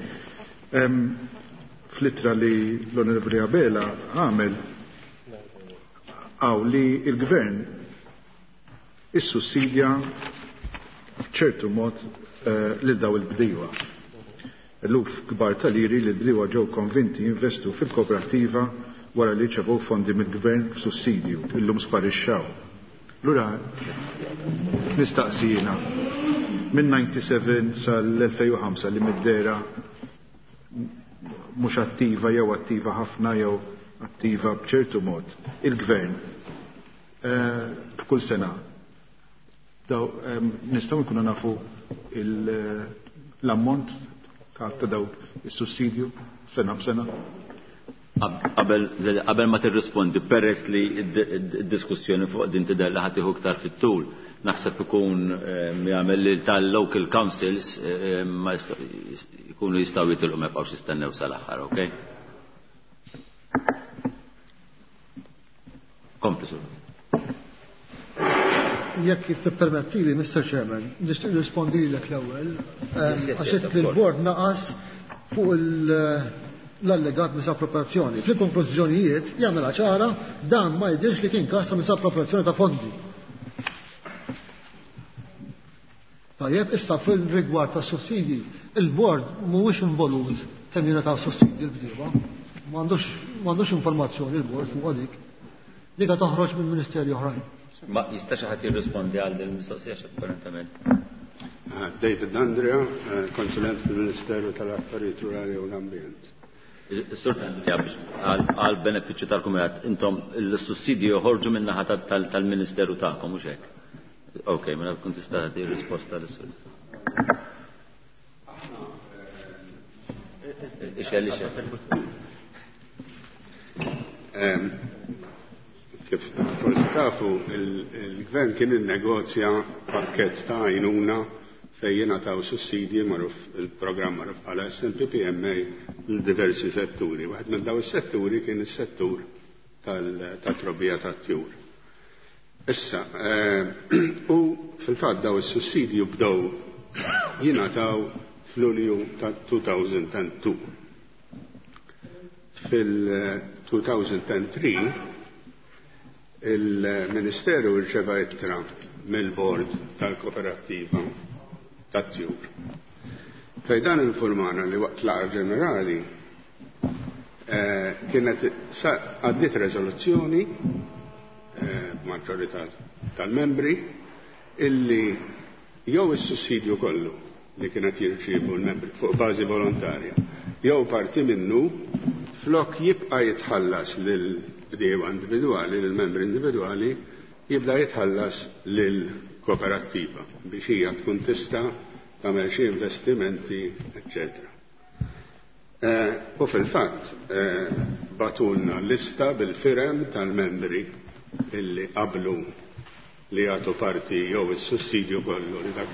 fl-ittra li l-Onorevoli Abela għamel għaw li il-gvern issussidja f'ċertu mod eh, lil daw il-bdiewa. Eluf kbar tal-liri li l-bdiewa ġew konvinti jinvestu fil-kooperativa wara li ċevew fondi mill-gvern f'sussidju, illum sparixxaw. Lura nistaqsijina minn disgħa u disgħin sal-elfejn u ħamsa li mid-dera mhux attiva jew attiva ħafna jew attiva b'ċertu mod il-gvern eh, f'kull sena daw em, nistgħu nkunu nafu l-ammont ta' ta' daw is-sussidju sena b'sena. Qabel qabel ma tirrispondi, peress li d-diskussjoni fuq din tidher li ħa tieħu iktar fit-tul, naħseb ikun jagħmel li tal-local councils ma jkunu jistgħu jitilqu ma jibqgħux jistennew sal-aħħar, okej? Kompli, Sur. Jekk tippermettili, Mister Chairman, nixtieq nirrispondilek l-ewwel, Yes, yes, għax yes, of course. il-bord naqas fuq l-allegat misappropriazzjoni. Fil-konklużjonijiet jagħmilha ċara dan ma jidhirx li kien każ ta' misappropriazzjoni ta' fondi. Tajjeb, issa fil-rigward ta' sussidji, il-bord mhuwiex involut kemm jingħataw sussidji l-bdiewa. M'għandux, m'għandux informazzjoni l-bord fuq dik. Dika toħroġ minn ministeri oħrajn. Ma jistax ħadd jirrispondi għal din il-mistoqsija apparentement. Ah, David Andrea, eh, konsulent fil-Ministeru tal-Affarijiet Rurali u l-Ambjent. Sur Andrea, biex għal benefiċċju tal-Kumitat, intom l-sussidji joħorġu minn naħa tal-Ministeru tagħkom, mhux hekk? Ok, mela tkun tista' tagħti risposta lis-sur. Ixel, ixel. Ehm, kif forsi tafu, il-gvern kien innegozja pakkett ta' għajnuna fejn jingħataw sussidji magħruf il-programm magħruf bħala S M P P M A l diversi setturi. Waħed minn daw is-setturi kien is-settur tat-trobbija tat-tjur. Issa, eh, u fil-fatt daw is-sussidju bdew jingħataw f'Lulju ta' two thousand and two. Fil-two thousand and three il-Ministeru rċeva ittra mill-Bord tal-Kooperattiva tat-Tjur. Fejn dan informana li waqt laqgħa ġenerali, eh, kienet għaddiet rezoluzzjoni, eh, b'maġġorità tal-membri illi jew is-sussidju kollu li kienet jirċievu l-membri fuq bażi volontarja, jew parti minnu flok jibqa' jitħallas lil bdiewa individwali, lil membri individwali, jibda jitħallas lil kooperattiva biex hija tkun tista' tagħmel xi investimenti, eċċetera. Eh, u fil-fatt, eh, batulna lista bil-firem tal-membri illi qablu li jagħtu parti jew is-sussidju kollu li dak,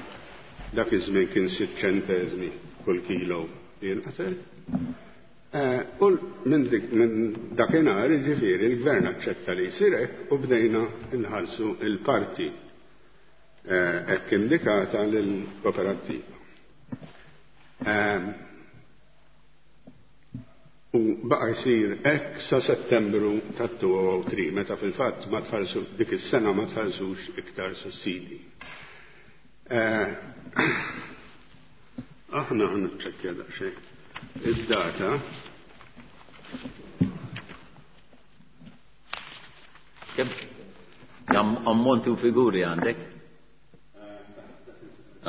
dak iż-żmien kien sitt ċenteżmi kull kilo li jinqatel. Eh, u minn dik, minn dakinhar, jiġifieri, il-gvern aċċetta li jsir hekk u bdejna nħallsu il-parti, eh, hekk indikata lill-kooperattiva. Eh, u baqa' jsir hekk sa Settembru ta' two oh three, meta fil-fatt ma tħallsu dik is-sena ma tħallsux iktar sussidji. Eh, aħna ħniċċekkja daqsxejn id-data. Kemm kemm ammonti u figuri għandek?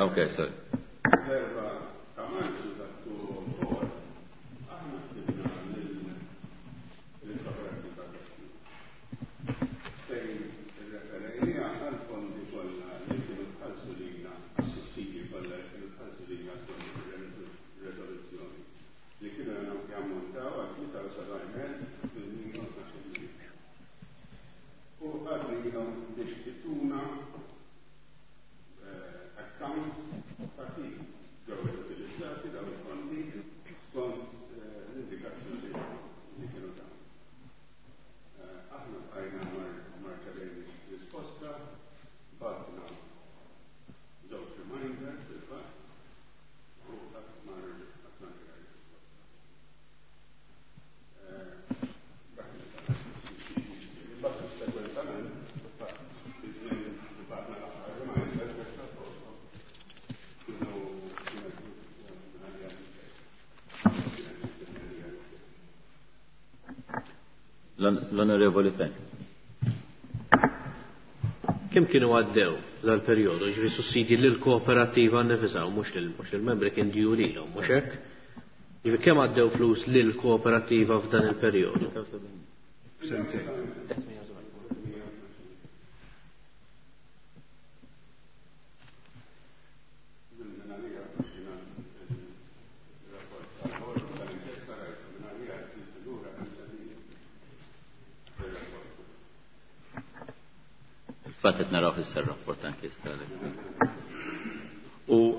Ok, sorry. Erba' L-Onorevoli Fenech. Kemm kienu għaddew dal-perjodu, ġifieri sussidji lill-kooperattiva nnifisha u mhux lill-membri kien due lilhom, mhux hekk? Ġifieri kemm għaddew flus lill-kooperattiva f'dan il-perjodu? Sentejn. Fatt qed naraw issa r-rapport inkjesta. U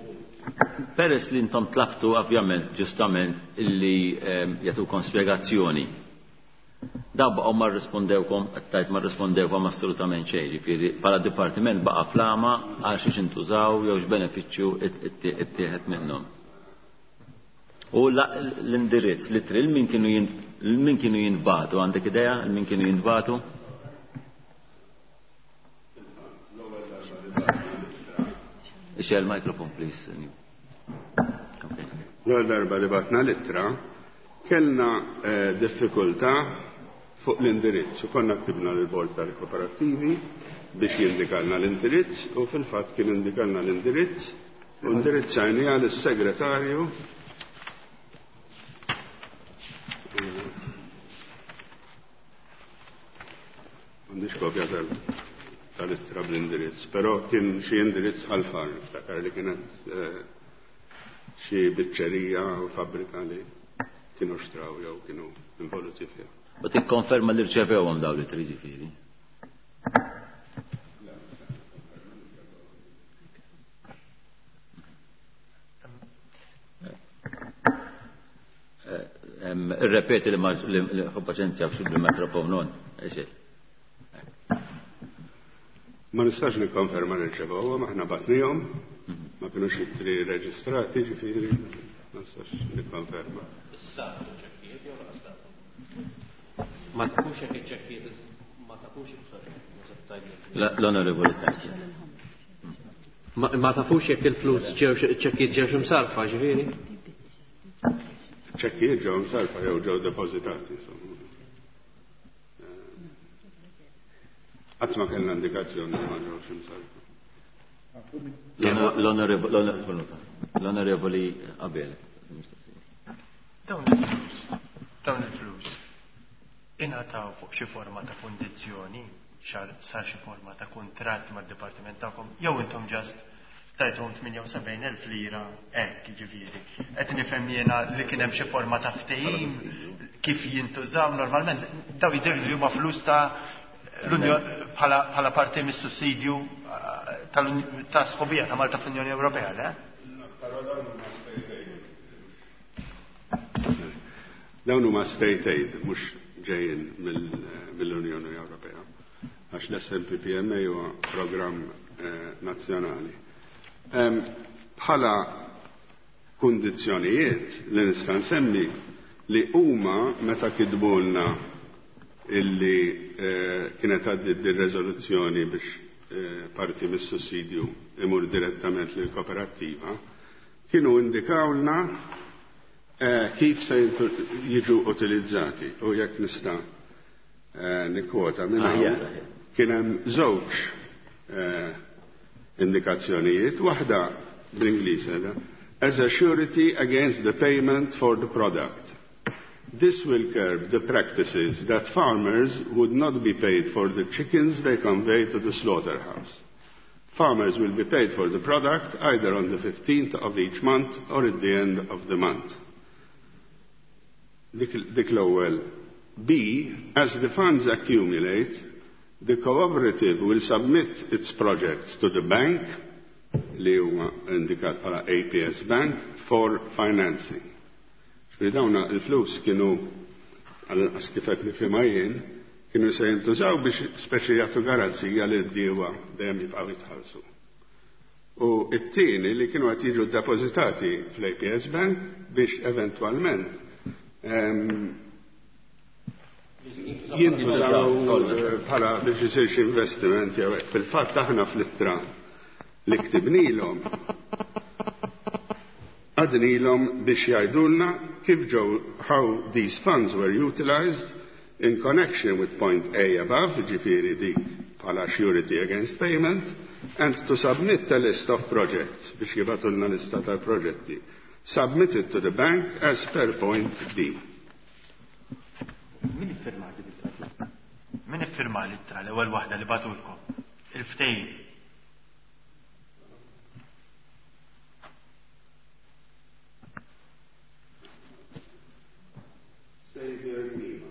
peress li intom tlabtu ovvjament ġustament illi jagħtukom spjegazzjoni. Daw baqgħu ma rrispondewkom, qed tgħid ma rrispondewkom assolutament xejn, jiġifieri bħala dipartiment baqa' flama għal xiex intużaw jew x'benefiċċju ittieħed minnhom. U l-indirizz li tril min kienu min kienu jintbagħtu, għandek idea min kienu jintbagħtu? Ixel microphone, please. Okay. L-ewwel darba li batna l-ittra kellna eh, diffikultà fuq l-indirizz u konna ktibna lill-Bord tal-Kooperattivi biex jindikalna l-indirizz u fil-fatt kien indikalna l-indirizz u indirizzajni għal is-segretarju M'għandix kopja tal tal-ittra bl-indirizz, però kien xi indirizz ħalfar, niftakar li kienet xi biċċerija u fabbrika li kienu xtraw jew kienu involuti fiha. U tikkonferma li rċevewhom dawn l-ittri ġifieri? Irrepeti li ma paċenzja bil-mikrofon non, ixel. Ma nistax nikkonferma li rċevewhom, aħna batnihom, ma kinux ittri reġistrati, ġifieri ma nistax nikkonferma. Issa ċekkijiet jew laqas Ma tafux jekk iċ-ċekkijiet ma tafux L-Onorevoli Fenech. Ma tafux jekk il-flus ġew ċekkijiet ġewx imsarfa, ġifieri? Ċekkijiet ġew imsarfa jew ġew depożitati, insomma. Qatt ma kellna indikazzjoni li ma ġewx imsarfa. L-Onorevoli Abel. Dawn il-flus, dawn il-flus ingħataw fuq xi forma ta' kundizzjoni, sar xi forma ta' kuntratt mad-dipartiment tagħkom, jew intom ġast tajthom tmienja u sebgħin elf lira hekk, jiġifieri. Qed nifhem jiena li kien hemm xi forma ta' ftehim kif jintużaw normalment, daw jidhirli li huma flus ta' l-Unjoni bħala parti mis-sussidju ta' sħubija ta' Malta fl-Unjoni Ewropea, le? Dawn huma state aid, mhux ġejjin mill-Unjoni Ewropea, għax l-S M P P M A huwa programm nazzjonali. Bħala kundizzjonijiet li nista' nsemmi li huma meta kitbulna illi kienet għaddiet din riżoluzzjoni biex parti mis-sussidju imur direttament lill kooperattiva, kienu indikawlna kif se jiġu utilizzati u jekk nista' nikkwota minn hawn kien hemm żewġ indikazzjonijiet, waħda bl-Ingliż edha, as a surety against the payment for the product. This will curb the practices that farmers would not be paid for the chickens they convey to the slaughterhouse. Farmers will be paid for the product either on the fifteenth of each month or at the end of the month. Dik, dik l-ewwel. B, as the funds accumulate, the cooperative will submit its projects to the bank, li huwa indikat bħala A P S Bank, for financing. Ġifieri dawna il-flus kienu, għal-inqas kif qed nifhimha jien, kienu se jintużaw biex speċi jagħtu garanzija li d-diewa dejjem jibqgħu jitħallsu. U t-tieni li kienu qed jiġu ddepożitati fl-A P S Bank biex eventwalment jintużaw bħala biex isir xi investiment jew hekk. Fil-fatt aħna fl-ittra li ktibnilhom għadnilhom biex jgħidulna kif ġew how these funds were utilized in connection with point A above, ġifieri dik bħala surety against payment, and to submit a list of projects, biex jibgħatulna lista tal-proġetti, submitted to the bank as per point B. Min iffirma l-ittra? Min iffirma l-ittra l-ewwel waħda li bagħtulkom? Il-ftehim. Xavier Grima.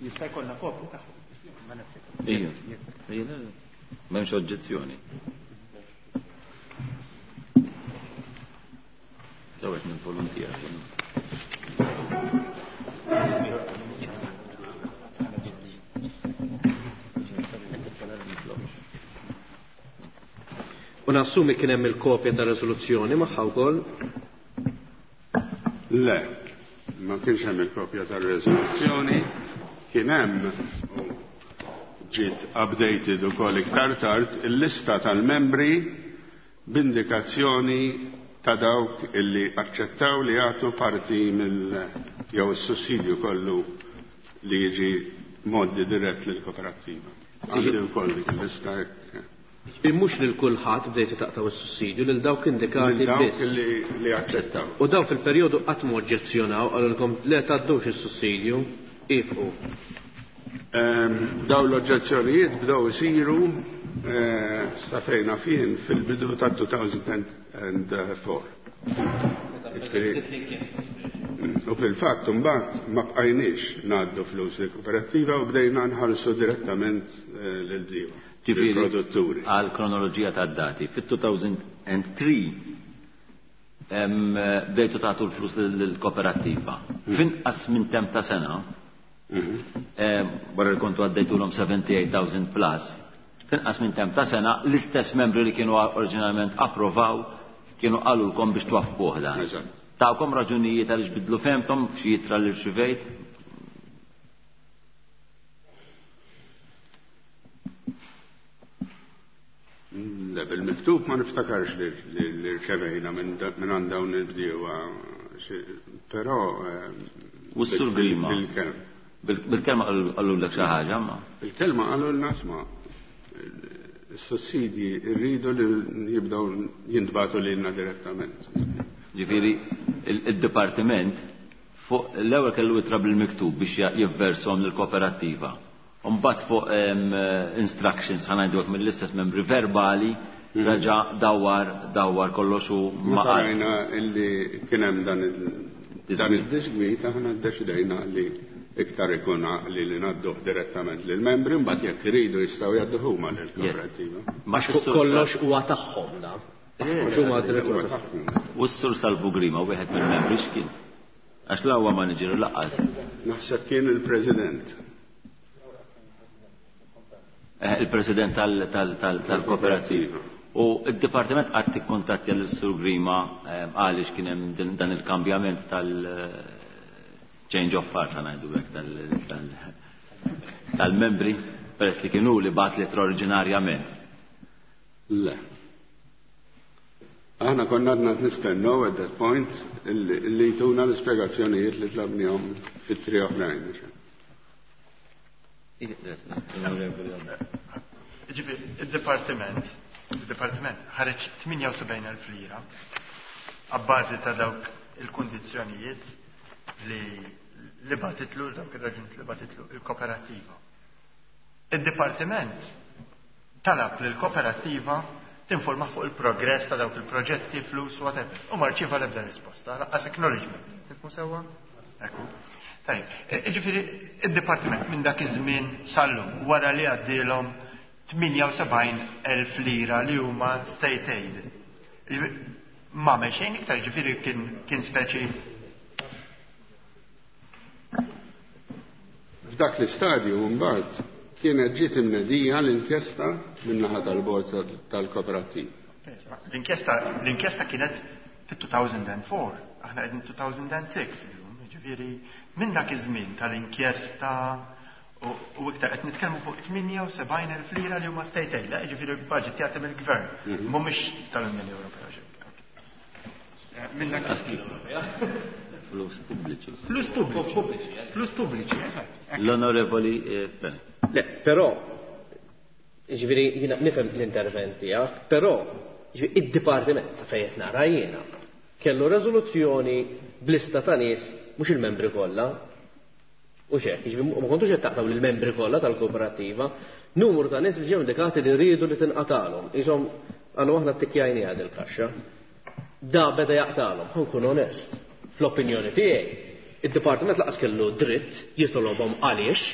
Jista' jkollna kopju tagħhom. Ejja, ejja, m'hemmx oġġezzjoni. Dawet minn volontier. U nassumi kien hemm il-kopja ta' riżoluzzjoni magħha wkoll? Le, ma kienx hemm il-kopja tar-riżoluzzjoni, kien hemm u ġiet updated ukoll iktar tard il-lista tal-membri b'indikazzjoni ta' dawk illi aċċettaw li jagħtu parti mill jew is-sussidju kollu li jiġi moddi dirett lill-kooperattiva. Għandi wkoll dik il-lista hekk. Mhux lil kulħadd bdejtu taqtaw is-sussidju, lil dawk indikati Lil dawk biss. li li aċċettaw. U daw fil-perjodu qatt ma oġġezzjonaw, qalulkom le tgħaddux is-sussidju, ifqu. Ehm, Daw l-oġġezzjonijiet bdew isiru eh, sa fejn fien fil-bidu ta' two thousand and four. Ġifieri, U fil-fatt mbagħad ma bqajniex ngħaddu flus lill-kooperattiva u bdejna nħallsu direttament eh, lil-bdiewa, Ġifieri, lill-produtturi. Għal kronoloġija ta' dati, fit-two thousand and three em, bdejtu tagħtu l-flus lill-kooperattiva. Finqas minn tem ta' sena, em, wara li kontu għaddejtulhom seventy-eight thousand plus, finqas minn tem ta' sena, l-istess membri li kienu oriġinalment approvaw kienu qalulkom biex twaffquh dan. Eżatt. Tawkom raġunijiet għaliex bidlu fehmthom f'xi ittra li rċivejt? Le, bil-miktub ma niftakarx li li- li rċevejna minn da- minn għand dawn il-bdiewa, xi- però eh, U s-Sur bil- Grima? Bil-kelma. Bil- Bil-kelma qalulek xi ħaġa, ma. Il-kelma qalu l-nasma. Is-sussidji rridu li jibdew jintbagħtu lilna direttament. Ġifieri, il-dipartiment fuq l-ewwel kellu ittra bil-miktub biex jivvershom lill-kooperattiva. Mbagħad fuq em, instructions, ħa ngħidu hekk, mill-istess membri verbali reġa' dawwar dawwar kollox u ma Meta qal. rajna illi kien hemm dan il- dan id-disgwit, aħna ddeċidejna li iktar ikun għaqli li ngħadduh direttament lill-membri, mbagħad jekk iridu jistgħu jgħadduh huma lill-kooperattiva. Ma Għax fuq kollox huwa tagħhom da. Għax huma direttura tagħhom. U s-Sur Salvu Grima, wieħed mill-membri, x'kien? Għax la huwa manager u lanqas. Naħseb kien il-President. Eh, il-President tal-kooperativa. U il-Dipartiment qatt ikkuntattja l-Sur Grima eh, għaliex kien hemm din- dan il-kambjament tal- change of heart, ngħidu hekk, tal-membri peress li kienu li bagħat l oriġinarjament? Le. Aħna konna għadna nistennew at that point illi illi jtuna l-ispjegazzjonijiet li tlabnihom fit-tri oħrajn. Ġifieri, il-Dipartiment, il-Dipartiment ħareġ tmienja u sebgħin elf lira abbażi ta' dawk il-kundizzjonijiet li li bagħtitlu, dawk ir-raġunijiet li bagħtitlu il-kooperattiva. Il-Dipartiment talab li l-kooperattiva tinforma fuq il-progress ta' dawk il-proġetti, flus, whatever. U ma rċieva l-ebda risposta, lanqas acknowledgement. Nifhmu sewwa? Ekku. Tajib, e, ġifieri, il-Dipartiment minn dak iż-żmien sal-lum, wara li għaddielhom tmienja u sebgħin elf lira li huma state aid. Ġifieri, ma għamel xejn iktar, ġifieri kien, kien speċi F'dak l-istadju mbagħad kienet ġiet imnedija l-inkjesta min-naħa tal-bord tal-kooperattiva. L-inkjesta l-inkjesta kienet fit-two thousand and four, aħna qegħdin two thousand and six illum, ġifieri minn dak iż-żmien tal-inkjesta u u iktar qed nitkellmu fuq tmienja u sebgħin elf lira li huma state aid, ġifieri budget jagħti mill-gvern, mhumiex tal-Unjoni Ewropea xejn. Minn dak Flus pubbliċi. Flus pubbliċi. Flus pubbliċi, eżatt. L-Onorevoli Fenech. Le, però, ġifieri jiena nifhem l-intervent tiegħek, però ġifieri id-dipartiment sa fejn qed nara jiena kellu reżoluzzjoni b'lista ta' nies mhux il-membri kollha. U xek, ġifieri ma kontux qed taqtaw lill-membri kollha tal-kooperattiva, numru ta' nies li ġew indikati li rridu li tinqatalhom. Isom għalu aħna ttikkjajni għad il-kaxxa. Da beda jaqtalhom, ħa nkun onest. Fl-opinjoni tiegħi, id-dipartiment laqas kellu dritt jitolobhom għaliex.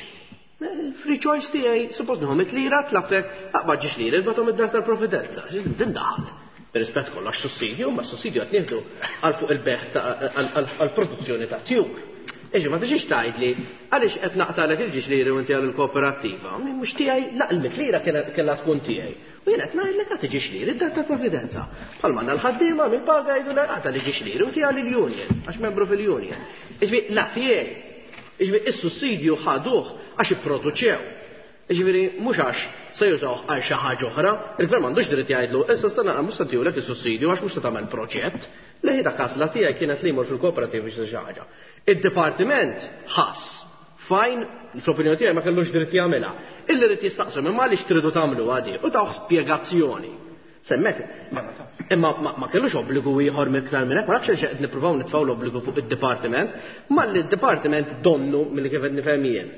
Free choice tiegħi, suppost nieħu mitt lira, tlabtek, aqbad ġiex lira, batom id-dar tal-Providenza. Din daħal. Rispett kollox sussidju, ma sussidju qed nieħdu għal fuq il-beħ għall-produzzjoni ta' tjur. Iġi, ma tiġix tgħidli għaliex qed naqtalek il-ġiex liri u inti għal il-kooperattiva. Mhux tiegħi, la il-mitt lira kellha tkun tiegħi. U jien qed ngħidlek għad tiġix liri d-dar tal-Providenza. Bħalma għandna l-ħaddiema mill-paga jgħidu le għad tiġix liri u tiegħi lill-union, għax membru fil-union. Iġifieri la tiegħi. Iġifieri is-sussidju ħaduh għax ipproduċew. Iġifieri mhux għax se jużawh għal xi ħaġa oħra, il-gvern m'għandux dritt jgħidlu issa stanna mhux se ntihulek is-sussidju għax mhux se tagħmel proġett. Le dak għażla tiegħi kienet li jmur fil-kooperattiva biex xi ħaġa. Id-dipartiment ħass fajn, fl-opinjoni tiegħi ma kellux dritt jagħmilha. Illi rid jistaqsu imma għaliex tridu tagħmlu għadi u tawh spjegazzjoni. Semmek, imma ma kellux obbligu ieħor miktar minn hekk, ma nafx għaliex qed nippruvaw nitfgħu l-obbligu fuq id-dipartiment, ma li d-dipartiment donnu milli kif qed nifhem jien.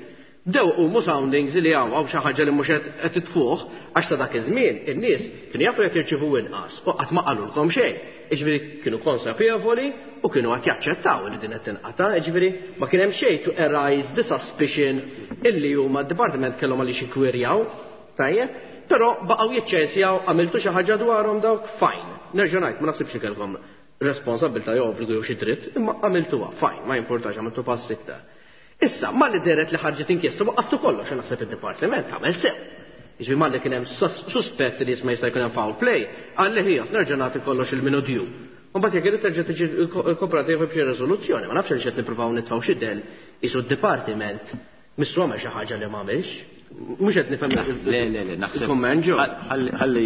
Bdew qumu soundings li hawn hawn xi ħaġa li mhux qed titfuh għax sa dak iż-żmien in-nies kienu jafu jekk jirċievu inqas u qatt ma qalulkom xejn. Jiġifieri kienu konsapevoli u kienu qed jaċċettaw li din qed tinqata', jiġifieri ma kien hemm xejn to arise the suspicion illi huma d-dipartiment kellhom għaliex ikkwirjaw, tajjeb, però baqgħu jiċċensjaw għamiltu xi ħaġa dwarhom dawk fajn. Nerġa' ngħid ma naħsibx li kellkom responsabilità jew obbligu jew xi dritt, imma għamiltuha fajn, ma jimpurtax għamiltu pass iktar. Issa, malli deret li ħarġet inkjesta waqaftu kollox, u naħseb id-dipartiment għamel sew. Jiġifieri malli kien hemm suspett li jisma' jista' jkun hemm foul play, qal li ħijas nerġa' nagħti kollox il-minu due. U mbagħad jekk irid terġa' tiġi l-kooperativa b'xi riżoluzzjoni, ma nafx għaliex qed nippruvaw nitfgħu xi del isu d-dipartiment missu għamel xi ħaġa li m'għamilx. Mhux qed nifhem Le, le, le, naħseb il-kumment ġo. Ħalli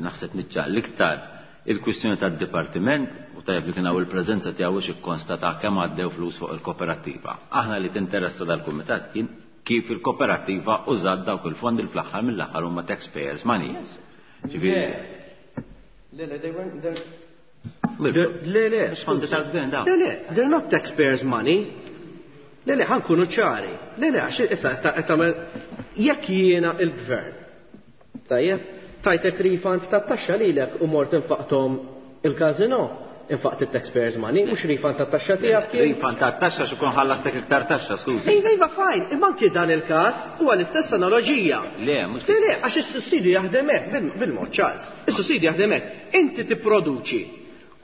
naħseb niċċaq l-iktar il-kwistjoni tad-dipartiment u tajjeb li kien hawn il-preżenza tiegħu biex ikkonstata kemm għaddew flus fuq il-kooperattiva. Aħna li tinteressa dal-kumitat kien kif il-kooperattiva użat dawk il-fondi li fl-aħħar mill-aħħar huma taxpayers money. Ġifieri. Le, le, they weren't Le, le, Fondi tal-gvern dawn. Le, le, they're not taxpayers money. Le, le, ħankunu ċari. Le, le, għax issa qed tagħmel jekk jiena il-gvern. Tajjeb, tajtek refund tat-taxxa lilek u mort infaqthom il-kazino, infaqt it-taxpayers money, mhux refund tat-taxxa tiegħek kien. Refund tat-taxxa xi kun ħallastek iktar taxxa, skużi. Iva, iva, fajn, imma anki dan il-każ huwa l-istess analoġija. Le, mhux Le, le, għax is-sussidju jaħdem hekk bil-mod ċars. Is-sussidju jaħdem hekk. Inti tipproduċi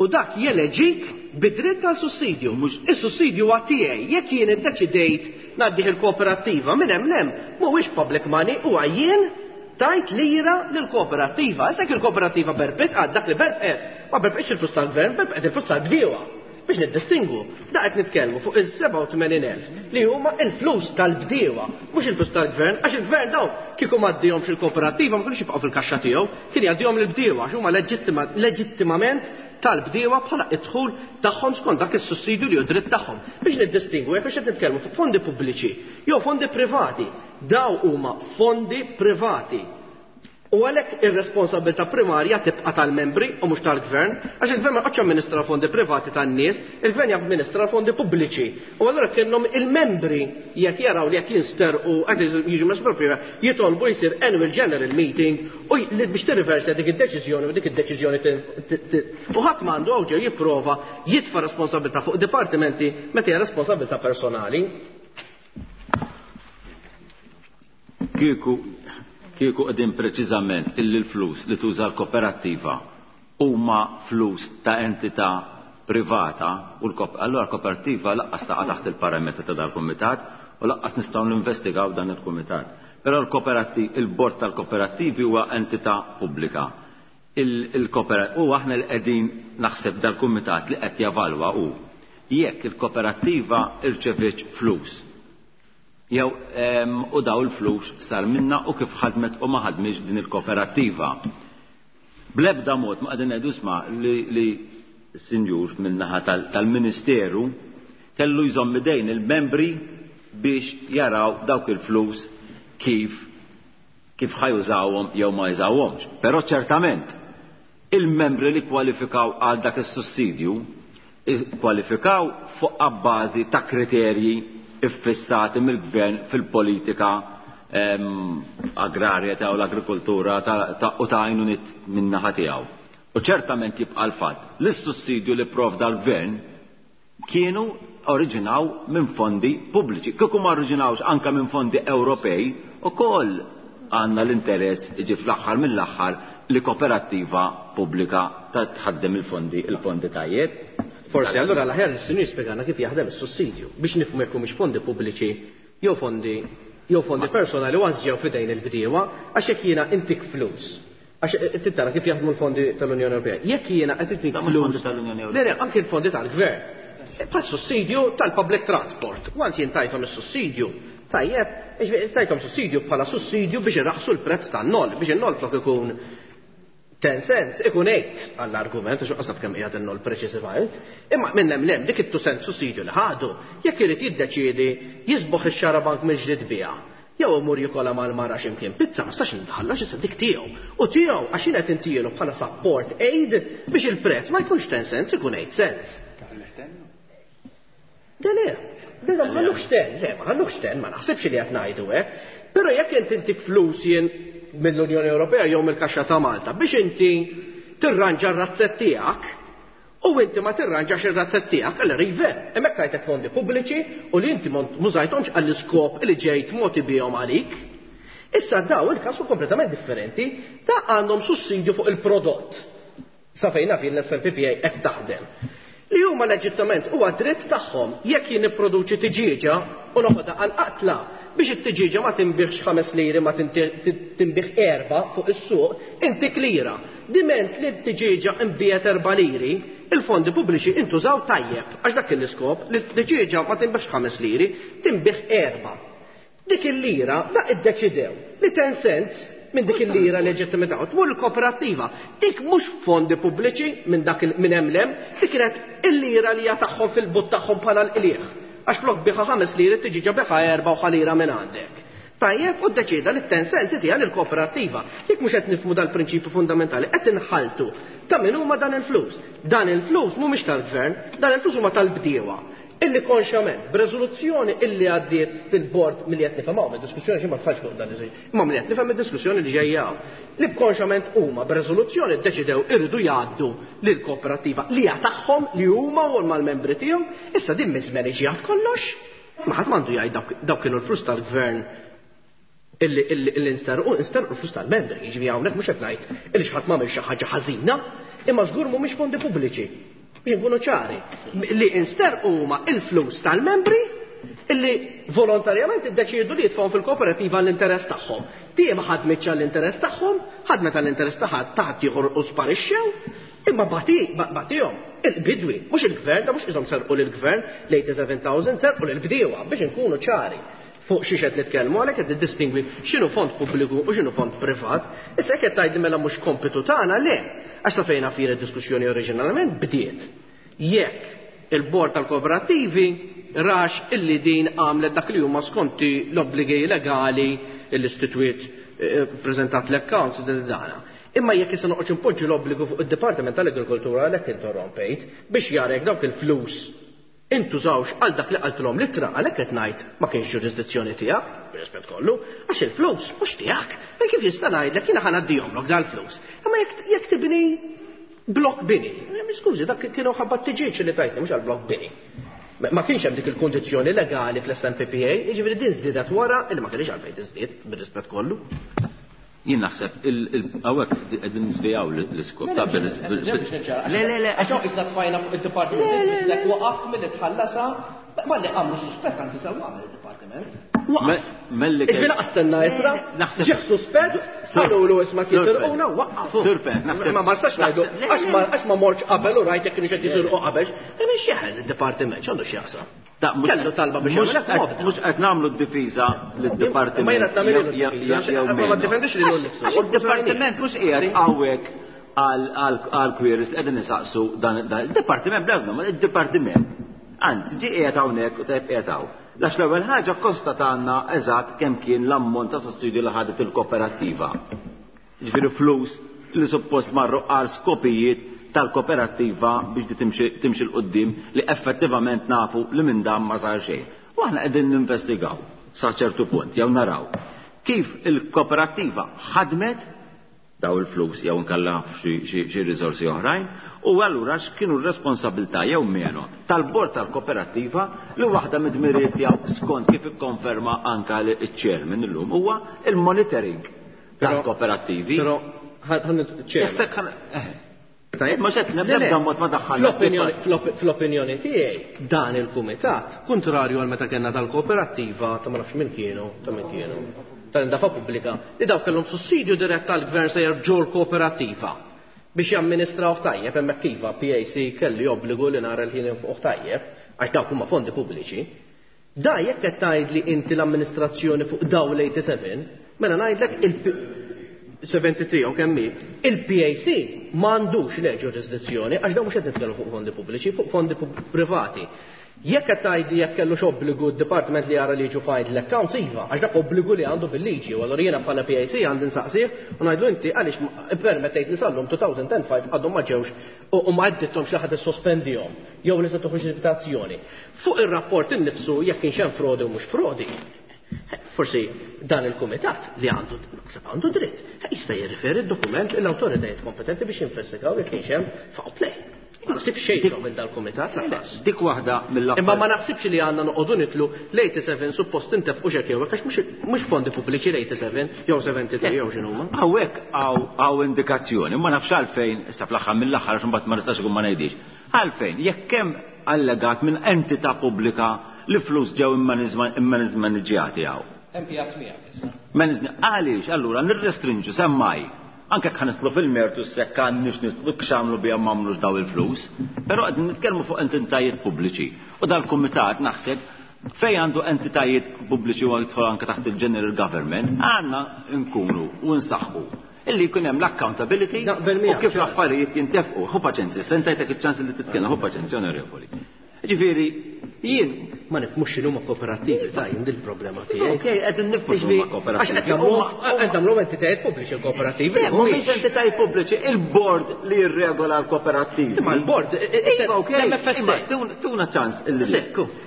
u dak jeleġik bidritt għal sussidju. Is-sussidju huwa tiegħi, jekk jien iddeċidejt ngħaddih il-kooperattiva minn hemm lem, mhuwiex public money, huwa jien tajt lira lill-kooperattiva. Issa jekk il-kooperattiva berbet għad dak li berbet, ma berbetx il-flus tal-gvern, berbet il-flus tal-bdiewa. Biex niddistingu, da qed nitkellmu fuq is-sebgħa u tmenin elf li huma il-flus tal-bdiewa, mhux il-flus tal-gvern, għax il-gvern dawn kieku m'għaddihomx il-kooperattiva ma kienux jibqgħu fil-kaxxa tiegħu, kien jgħaddihom lill-bdiewa għax huma leġittimament tal-bdiewa bħala id-dħul tagħhom skont dak is-sussidju li hu dritt tagħhom. Biex niddistingwu jekk qed nitkellmu fuq fondi pubbliċi jew fondi privati, daw huma fondi privati. U għalhekk ir-responsabilità primarja tibqa' tal-membri u mhux tal-gvern, għax il-gvern ma jqgħodx amministra fondi privati tan-nies, il-gvern jamministra fondi pubbliċi. U allura kienhom il-membri jekk jaraw li qed jinsterqu qed jiġu mesproprija, jitolbu jsir annual general meeting u li biex tirriversa dik id-deċiżjoni u dik id-deċiżjoni u ħadd m'għandu hawn ġew jipprova jitfa' responsabilità fuq dipartimenti meta hija responsabilità personali. Kieku kieku qegħdin preċiżament illi l-flus li tuża l-kooperattiva huma flus ta' entità privata u allura l-kooperattiva laqqas taqa' taħt il-parametri ta' dal-kumitat u laqqas nistgħu ninvestigaw dan il-kumitat. Però il-bord tal-kooperattivi huwa entità pubblika. U aħna li qegħdin naħseb dal-kumitat li qed javalwa hu jekk il-kooperattiva irċevietx flus jew u daw il-flus sar minna u kif ħadmet u ma ħadmitx din il-kooperattiva. Bl-ebda mod ma qegħdin ngħidu isma' li is-sinjur min-naħa tal-Ministeru kellu jżomm idejn il-membri biex jaraw dawk il-flus kif kif ħajużawhom jew ma jużawhomx. Però ċertament il-membri li kwalifikaw għal dak is-sussidju kwalifikaw fuq abbażi ta' kriterji iffissati mill-gvern fil-politika agrarja ta' l-agrikoltura u ta' għajnuniet min-naħa tiegħu. U ċertament jibqa' l-fatt li s-sussidju li provda l-gvern kienu oriġinaw minn fondi pubbliċi. Kieku ma oriġinawx anke minn fondi Ewropej, ukoll għandna l-interess iġi fl-aħħar mill-aħħar li kooperattiva pubblika tħaddem il-fondi il-fondi tajjeb. Forsi allura l-aħjar is-sinjur jispjegana kif jaħdem is-sussidju biex nifhmu jekk mhux fondi pubbliċi jew fondi jew fondi personali u ġew f'idejn il-bdiewa, għax jekk jiena intik flus. Għax tara kif jaħdmu l-fondi tal-Unjoni Ewropea. Jekk jiena qed intik flus tal-Unjoni Ewropea. Le, le, anke l-fondi tal-gvern. Bħal sussidju tal-public transport. Once jien tajthom is-sussidju, tajjeb, tajthom sussidju bħala sussidju biex irraħsu l-prezz tan-nol, biex in-nol flok ikun ten cents, ikun eight għall-argument, għax qasna kemm qiegħed in-nol preċiżivament, imma minn hemm lem dik it-two cent sussidju li ħadu, jekk irid jiddeċiedi jisboħ ix-xarabank mill-ġdid biha, jew imur jikola mal-mara x'imkien pizza, ma stax nitħallax issa dik tiegħu. U tiegħu għax jien qed intielu bħala support aid biex il-prezz ma jkunx ten cents, ikun eight cents. Le, le, le, ma ħallux ten, le, ma ħallux ten, ma naħsibx li qed ngħidu hekk. Però jekk inti intik flus jien mill-Unjoni Ewropea jew mill-Kaxxa ta' Malta biex inti tirranġa r-razzett tiegħek u inti ma tirranġax ir-razzett tiegħek, allura iva, hemmhekk tajtek fondi pubbliċi u li inti mużajthomx għall-iskop li ġejt moti bihom għalik. Issa daw il-każ hu kompletament differenti, ta' għandhom sussidju fuq il-prodott. Sa fejn naf jien l-S M P P A qed taħdem. Li huma leġittament huwa dritt tagħhom jekk jien nipproduċi tiġieġa u noħodha għal qatla biex it-tiġieġa ma tinbiħx ħames liri ma tinbiħ erba fuq is-suq, intik lira. Diment li t-tiġieġa nbiegħet erba' liri, il-fondi pubbliċi intużaw tajjeb għax dak l-iskop li t-tiġieġa ma tinbiħx ħames liri, tinbiħ erba'. Dik il-lira da iddeċidew li ten cents minn dik il-lira leġittimità tmur il-kooperattiva. Dik mhux fondi pubbliċi minn dak minn hemm lem, dik kienet il-lira li hija tagħhom fil-but tagħhom bħala l-qliegħ. Għax flok biħa ħames liri tiġi biħa erba' u ħalira minn għandek. Tajjeb, u ddeċida li ten cents tiegħha lill-kooperattiva. Jekk mhux qed nifhmu dal-prinċipju fundamentali, qed inħaltu ta' min huma dan il-flus. Dan il-flus mhumiex tal-gvern, dan il-flus huma tal-bdiewa. Illi konxjament, b'reżoluzzjoni illi għaddiet fil-bord milli qed nifhem hawn, id-diskussjoni xi ma tħallx fuq dan iż-żejt, imma milli qed nifhem id-diskussjoni li ġejja hawn. Li b'konxjament huma b'reżoluzzjoni ddeċidew irridu jgħaddu lill-kooperattiva li hija tagħhom li huma u mal-membri tiegħu, issa din miż-żmien iġi kollox. Ma ħadd m'għandu jgħid dawk kienu l-flus tal-gvern illi illi insterqu, insterqu l-flus tal-membri, jiġifieri hawnhekk mhux qed ngħid illi xi ħadd m'għamel xi ħaġa ħażina, imma żgur mhumiex fondi pubbliċi. Biex nkunu ċari, li insterqu huma il-flus tal-membri illi volontarjament iddeċiedu li jitfgħu fil-kooperattiva l-interess tagħhom. Di ma ħadmitx għall-interess tagħhom, ħadmet għall-interess ta' ħadd ieħor u sparixxew, imma batihom il-bidwi, mhux il-gvern, da mhux iżhom serqu lill-gvern l-eighty-seven thousand serqu lill-bdiewa biex inkunu ċari fuq xi qed nitkellmu, għalhekk qed niddistingwi x'inhu fond pubbliku u x'inhu fond privat. Issa hekk qed tgħidli mela mhux kompitu tagħna, le. Għax sa fejn naf jien id-diskussjoni oriġinalment bdiet. Jekk il-bord tal-kooperattivi rax illi din għamlet dak li huma skonti l-obbligi legali l-istitwiet preżentat l-accounts dana. Imma jekk issa noqgħod impoġġu l-obbligu fuq id-Dipartiment tal-Agrikoltura għalhekk interrompejt biex jara jekk dawk il-flus intużawx għal dak li qaltilhom l-ittra, għalhekk qed ngħid ma kienx ġurisdizzjoni tiegħek, bir-rispett kollu, għax il-flus mhux tiegħek. Ma kif jista' ngħidlek jiena ħa ngħaddihomlok dal-flus. Imma jekk jekk tibni blok bini, skużi, dak kienu ħabba t-tiġieġ li tajtni mhux għal blok bini. Ma kienx hemm dik il-kundizzjoni legali fl-S M P P A, jiġifieri din żdiedet wara illi ma kienx għalfejn tiżdied bir-rispett kollu. Jien naħseb hawnhekk qegħdin niżvijaw l-iskop ta' bil. Le, le, le, għax hawn isna tfajna fuq id-dipartiment bissek waqaft milli tħallasha, ma li għamlu suspett anzi sew għamel id-dipartiment. Waqaf. Iġifieri laqas stenna ittra, ġieħ suspett, qalulu isma' jisirquna waqafu. Ma ma nistax ngħidu għax ma mortx qabel u rajt jekk kienu qed jisirqu qabel. Imma x'jeħel id-dipartiment x'għandu x'jaqsam? Kellu talba biex jagħmel mhux qed nagħmlu d-difiża lid-dipartiment. Ma jiena qed nagħmel ma ddefendix lilu nnifsu. Għax id-dipartiment mhux qiegħed hawnhekk għal queries li qegħdin nisaqsu dan il-dipartiment bl-ebda ma il-dipartiment. Anzi, ġie qiegħed hawnhekk u tajb qiegħed hawn. Għax l-ewwel ħaġa konstatanna eżatt kemm kien l-ammont ta' sussidju li ħadet il-kooperattiva. Ġifieri flus li suppost marru għal skopijiet tal-kooperattiva biex di timxi l-qoddim li effettivament nafu li minn dan ma sar xejn. U aħna qegħdin ninvestigaw sa ċertu punt jew naraw kif il-kooperattiva ħadmet daw il-flus jew nkella xi riżorsi oħrajn u allura x'kienu r-responsabilità jew meno tal-bord tal-kooperattiva li waħda mid-dmirijiet tiegħu skont kif ikkonferma anka l-chairman illum huwa il-monitoring tal-kooperattivi. Però Ma xed nebda mod ma daħħalna. Fl-opinjoni tiegħi dan il-kumitat, kontrarju għal meta kellna tal-kooperattiva ta' ma nafx min kienu, ta' min kienu, tal-indafa pubblika, li daw kellhom sussidju dirett tal-gvern sejjer ġol kooperattiva biex jamministraw tajjeb hemmhekk iva P A C kelli obbligu li nara l-ħin fuq tajjeb għax dawk huma fondi pubbliċi. Da jekk qed tgħidli inti l-amministrazzjoni fuq daw l-eighty-seven, mela ngħidlek il seventy-three u kemm hi, il-P A C m'għandux le ġurisdizzjoni għax dawn mhux qed nitkellmu fuq fondi pubbliċi, fuq fondi privati. Jekk qed tgħidli jekk kellux obbligu d-dipartiment li jara li jiġu filed l-accounts iva, għax dak obbligu li għandu bil-liġi, u allura jiena bħala P A C għandi nsaqsih u ngħidlu inti għaliex permettejt li sal-lum two thousand and five għadhom ma ġewx u ma għaddithomx li ħadd issospendihom jew li se toħroġ invitazzjoni. Fuq ir-rapport innifsu jekk kienx hemm frodi u mhux frodi, forsi dan il-kumitat li għandu naħseb għandu dritt jista' jirriferi d-dokument l-awtoritajiet kompetenti biex jinvestigaw jekk kienx hemm foul play. Ma naħsibx xejn minn dal-kumitat lanqas. Dik waħda mill-affarijiet. Imma ma naħsibx li għandna noqogħdu nitlu l-eighty-seven suppost intefqu x'hekk jew hekk għax mhux fondi pubbliċi l-eighty-seven jew seventy-three jew x'inhuma. Hawnhekk hawn indikazzjoni, ma nafx għalfejn, issa fl-aħħar mill-aħħar għax imbagħad ma nistax ikun ma ngħidix. Għalfejn jekk hemm allegat minn entità pubblika li flus ġew immaniġġjati hawn. Hemm qiegħed miegħek issa. Maniġni għaliex allura nirrestrinġu semmaj. Anke jekk ħanitlu fil-mertu s-sekka nix nitlu x'għamlu biha m'għamlux daw il-flus, però qegħdin nitkellmu fuq entitajiet pubbliċi. U dal-kumitat naħseb fejn għandu entitajiet pubbliċi u jidħol anke taħt il-general government, għandna nkunu u nsaħħu illi jkun hemm l-accountability u kif l-affarijiet jintefqu. Ħu paċenzja, sentajtek iċ-ċans li titkellem, ħu paċenzja onorevoli. Ġifieri, jien ma nifhmux x'inhuma kooperattivi ta' jien dil-problema tiegħi. Okej, qegħdin nifhmu x'inhuma kooperattivi. Għax qed nagħmlu entitajiet pubbliċi l-kooperattivi. Mhumiex entitajiet pubbliċi, il-bord li jirregola l-kooperattivi. Imma l-bord, imma tuna ċans illi.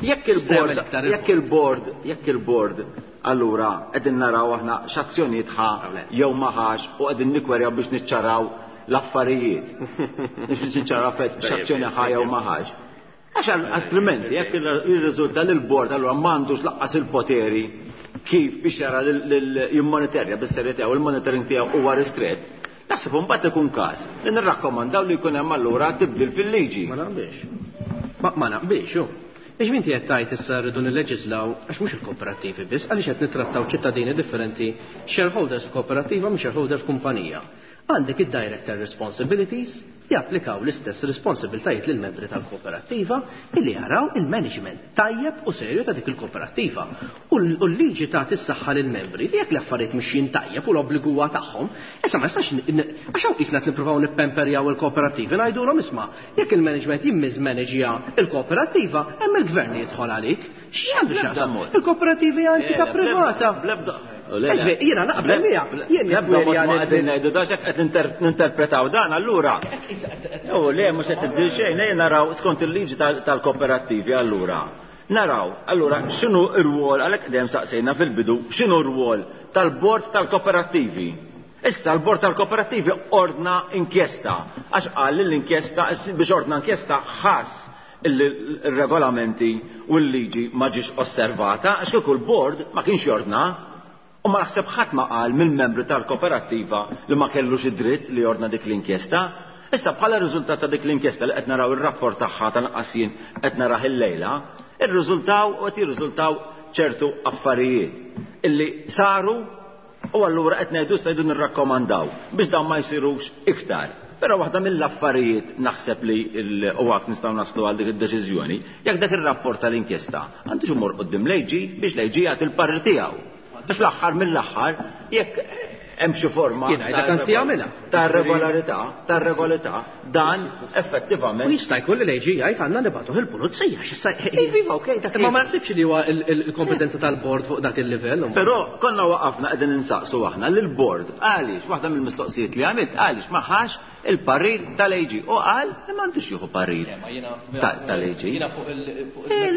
Jekk il-bord, jekk il-bord, jekk il-bord allura qegħdin naraw aħna x'azzjonijiet ħa jew ma ħax u qegħdin nikwerjaw biex niċċaraw l-affarijiet. Biex niċċaraw x'azzjoni ħa jew ma ħax. Għax altrimenti jekk jirriżulta li l-bord allura m'għandux laqqas il-poteri kif biex jara jimmonitorja bis-serjetà u l-monitoring tiegħu huwa ristrett, naħseb imbagħad ikun każ li nirrakkomandaw li jkun hemm allura tibdil fil-liġi. Ma naqbilx. Ma naqbilx, hu. Biex minti qed tgħid issa rridu nilleġislaw għax mhux il-kooperattivi biss, għaliex qed nittrattaw ċittadini differenti, shareholders f'kooperattiva mhux shareholders f'kumpanija. Għandek id-director responsibilities japplikaw l-istess responsibiltajiet lil membri tal-kooperattiva illi jaraw il-management tajjeb u serju ta' dik il-kooperattiva. U l-liġi tagħti s-saħħa lil membri li jekk l-affarijiet mixjin tajjeb u l-obbligu huwa tagħhom, issa ma jistax għax hawn qisna qed nippruvaw nippemperjaw il-kooperattivi ngħidulhom isma' jekk il-management jimmismanaġja il-kooperattiva hemm il-gvern li jidħol għalik. X'għandu x'jaqsam? Il-kooperattivi hija entità privata. Jiena naqbel miegħek. Jien nibda mod ma qegħdin ngħidu da x'hekk qed ninterpretaw dan allura. U le mhux qed tibdil xejn, ejja naraw skont il-liġi tal-kooperattivi allura. Naraw, allura x'inhu r-rwol għalhekk dejjem saqsejna fil-bidu x'inhu r-rwol tal-bord tal-kooperattivi. Issa l-bord tal-kooperattivi ordna inkjesta għax qal li l-inkjesta biex ordna inkjesta ħass il-regolamenti u l-liġi ma ġiex osservata għax kieku l-bord ma kienx jordna. U ma naħseb ħadd ma qal mill-membri tal-kooperattiva li ma kellux id-dritt li jordna dik l-inkjesta. Issa bħala riżultat ta' dik l-inkjesta li qed naraw ir-rapport tagħha tal-anqas jien qed narah illejla, irriżultaw u qed jirriżultaw ċertu affarijiet illi saru u allura qed ngħidu issa jridu nirrakkomandaw biex dawn ma jsirux iktar. Però waħda mill-affarijiet naħseb li u għak nistgħu naslu għal dik id-deċiżjoni, jekk dak ir-rapport tal-inkjesta għandux imur quddiem l-A G biex l-A G jagħti l-parir tiegħu. Biex l-aħħar mill-aħħar jekk hemm xi forma ta' regolarità, ta' regolarità, dan effettivament. U jista' jkun li l-A G jgħid għandna nibgħatuh il-pulizija x'issa. Iva, okej, dak. Imma ma naħsibx li huwa il-kompetenza tal-bord fuq dak il-livell. Però konna waqafna qegħdin insaqsu aħna lill-bord għaliex, waħda mill-mistoqsijiet li għamilt, għaliex ma ħax il-parir tal-A G u qal li m'għandux jieħu parir tal-A G. Jiena fuq il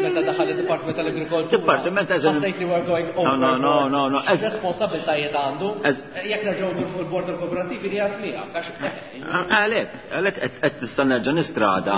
meta daħal id-Dipartiment tal-Agrikoltura. Dipartiment eżem. Ħassejt li we're going No, no, no, no, no. Responsabiltajiet għandu. Jekk nerġgħu fuq il-bord tal-kooperativi li għad miegħek. Għalhekk, għalhekk qed tista' nerġa' nistrada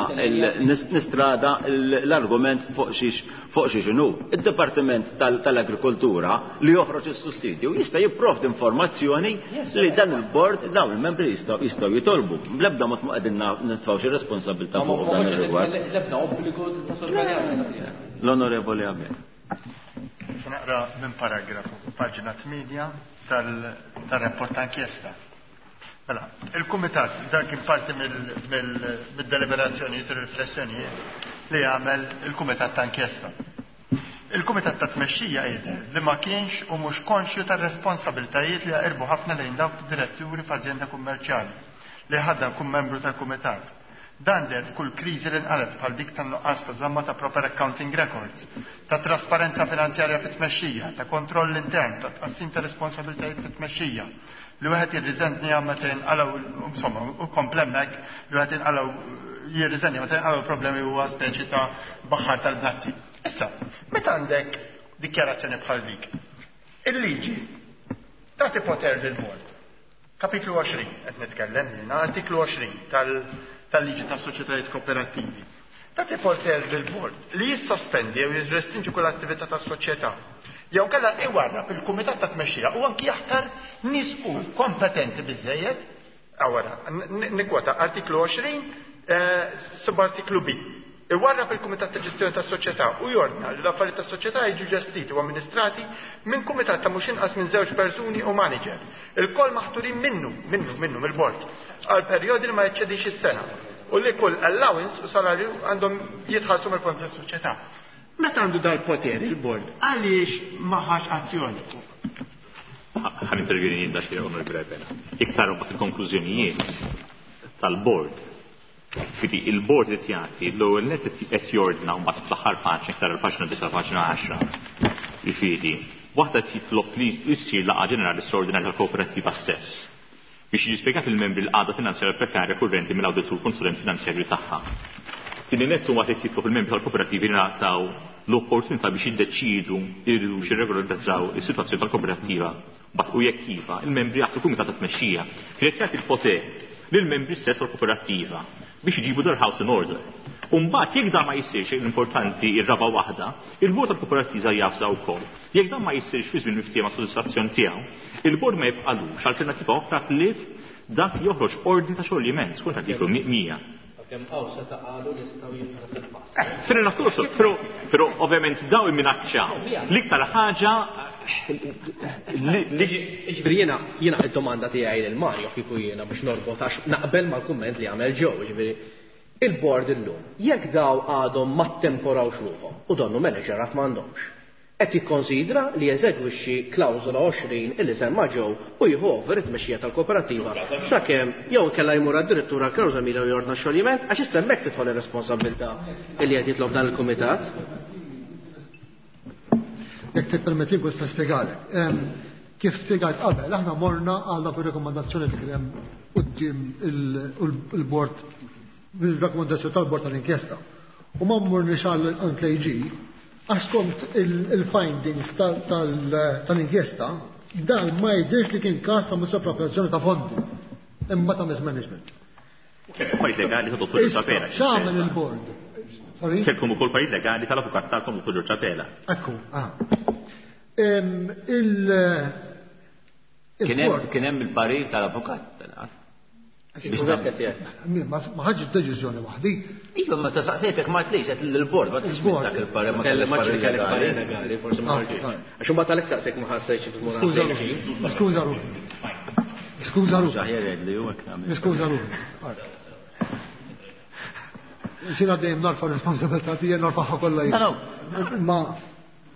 nistrada l-argument fuq xiex fuq xiex inhu. Id-Dipartiment tal-Agrikoltura li joħroġ is-sussidju jista' jipprovdi informazzjoni li dan il-bord, dawn il-membri jistgħu jistgħu jitolbu. Bl-ebda mod ma qegħdin nitfgħu xi responsabilità fuq dan ir-rigward. L-ebda obbligu ta' sorveljanza. L-Onorevoli Abela. Se naqra minn paragrafu, paġna tmienja tal-rapport ta' inkjesta. Mela, il-Kumitat, dan kien parti mill-deliberazzjonijiet u riflessjonijiet li għamel il-Kumitat ta' inkjesta. Il-Kumitat ta' Tmexxija jidher li ma kienx u mhux konxju tar-responsabiltajiet li jaqirbu ħafna lejn dawk diretturi f'ażjenda kummerċjali li ħaddan kun membru tal-Kumitat. Dan deher f'kull kriżi li nqalet, bħal dik tan-nuqqas ta' żamma ta' proper accounting records, ta' trasparenza finanzjarja fit-tmexxija, ta' kontroll intern, ta' tqassim ta' responsabiltajiet fit-tmexxija, li wieħed jirriżenja meta jinqalgħu, insomma, u komplemmek li wieħed jinqalgħu jirriżenja meta jinqalgħu problemi huwa speċi ta' baħar tal-bnazzi. Issa, meta għandek dikjarazzjoni bħal dik, il-liġi tagħti poter lil bord. Kapitlu għoxrin, qed nitkellem jiena, artiklu għoxrin tal-liġi tas soċjetajiet kooperattivi. Tagħti poter lil bord li jissospendi jew jirrestrinġi kull attività tas-soċjetà jew kella iwarrab il-kumitat ta' tmexxija u anki jaħtar nies u kompetenti biżejjed. Awara, nikwota artiklu għoxrin, eh, subartiklu B. Iwarrab il-Kumitat ta' Ġestjoni tas-Soċjetà u jordna li l-affarijiet tas-soċjetà jiġu ġestiti u amministrati minn kumitat ta' mhux inqas minn żewġ persuni u manager. Il-koll maħturin minnu, minnu, minnu mill-bord, għal perjodi li ma jeċċedix is-sena u li kull allowance u salarju għandhom jitħallsu mill-fond tas-soċjetà. Meta għandu dal-poter il-bord, għaliex ma ħax azzjoni? Ħa nintervjeni jien daxxi, Onorevoli Abela. Iktar mbagħad il-konklużjonijiet tal-bord. Fidi il-bord qed jagħti l-ewwel net qed jordna mbagħad fl-aħħar paġna, iktar il-paġna disa', paġna għaxra. Jifieri, waħda titlob li issir laqgħa ġenerali straordinarja tal-kooperattiva stess biex jiġi spjegat il-membri l-qagħda finanzjarja prekarja kurrenti mill-awditur konsulent finanzjarju tagħha. Tieni nett huwa qed jitlob il-membri tal-kooperattivi jingħataw l-opportunità biex jiddeċidu jridux jirregolarizzaw is-sitwazzjoni tal-kooperattiva. Bat u jekk iva, il-membri jaħtru kumitat ta' tmexxija. Kien qed jagħti l-poter lill-membri stess tal-kooperattiva biex iġibu their house in order. Umbagħad jekk dan ma jsirx, l-importanti ir-raba waħda, il-bord tal-kooperattiva javża wkoll. Jekk dan ma jsirx fi żmien miftiehem sodisfazzjon tiegħu, il-bord ma jibqalux alternattiva oħra ħlief dak joħroġ ordni ta' xoljiment skont artiklu mija. Kemm hawn seta' qalu li jistgħu jibqa' fil-pass. Fair enough also, però però ovvjament daw imminaċċaw. L-iktar ħaġa li Ġifieri jiena jiena id-domanda tiegħi lil Mario kieku jiena biex norbot, għax naqbel mal-kumment li għamel ġew, ġifieri il-board illum, jekk daw għadhom ma temporawx ruħhom u donnu manager għad m'għandhomx, qed jikkonsidra li jeżegwixxi klawżola għoxrin illi semma ġew u jieħu over it-tmexxija tal-kooperattiva sakemm, jew inkella jmur addirittura klawżola mila u jordna xoljiment, għax issa hemmhekk tidħol ir-responsabilità illi qed jitlob dan il-kumitat. Jekk tippermetti nista' nispjegalek. Kif spjegajt qabel, aħna morna għal dak ir-rekomandazzjoni li kien hemm quddiem il-bord, il-rakkomandazzjoni tal-bord tal-inkjesta. U ma morniex għal l-A G għax skont il-findings tal-inkjesta dan ma jidhirx li kien każ ta' misappropriazzjoni ta' fondi imma ta' mismanagement. Parir legali ta' Dottor Issa, Abela. x'għamel il-bord? Sorry? Kelkom ukoll parir legali tal-avukat tagħkom, Dottor George Abela. Ekku, ah. Em, Il Kien hemm il-bord kien hemm il-parir tal-avukat. Biex Ma ma ħadx deċiżjoni waħdi. Iva, ma ta' saqsejtek ma tlix, qed l-bord, ma tlix Il-bord. dak il-parir, ma Kelli kellix ma parir kellek parir legali. legali, forsi ma Ah, ħarġitx. ah. Għax imbagħad għalhekk saqsek ma ħassejtx tmur Skuża għal ruħi. Skuża ruħi. Skuża ruħi. Aħjar li hu hekk nagħmel. Niskuża ruħi. Xina dejjem narfa responsabilità tiegħi, narfaħha kollha jien. No, Ma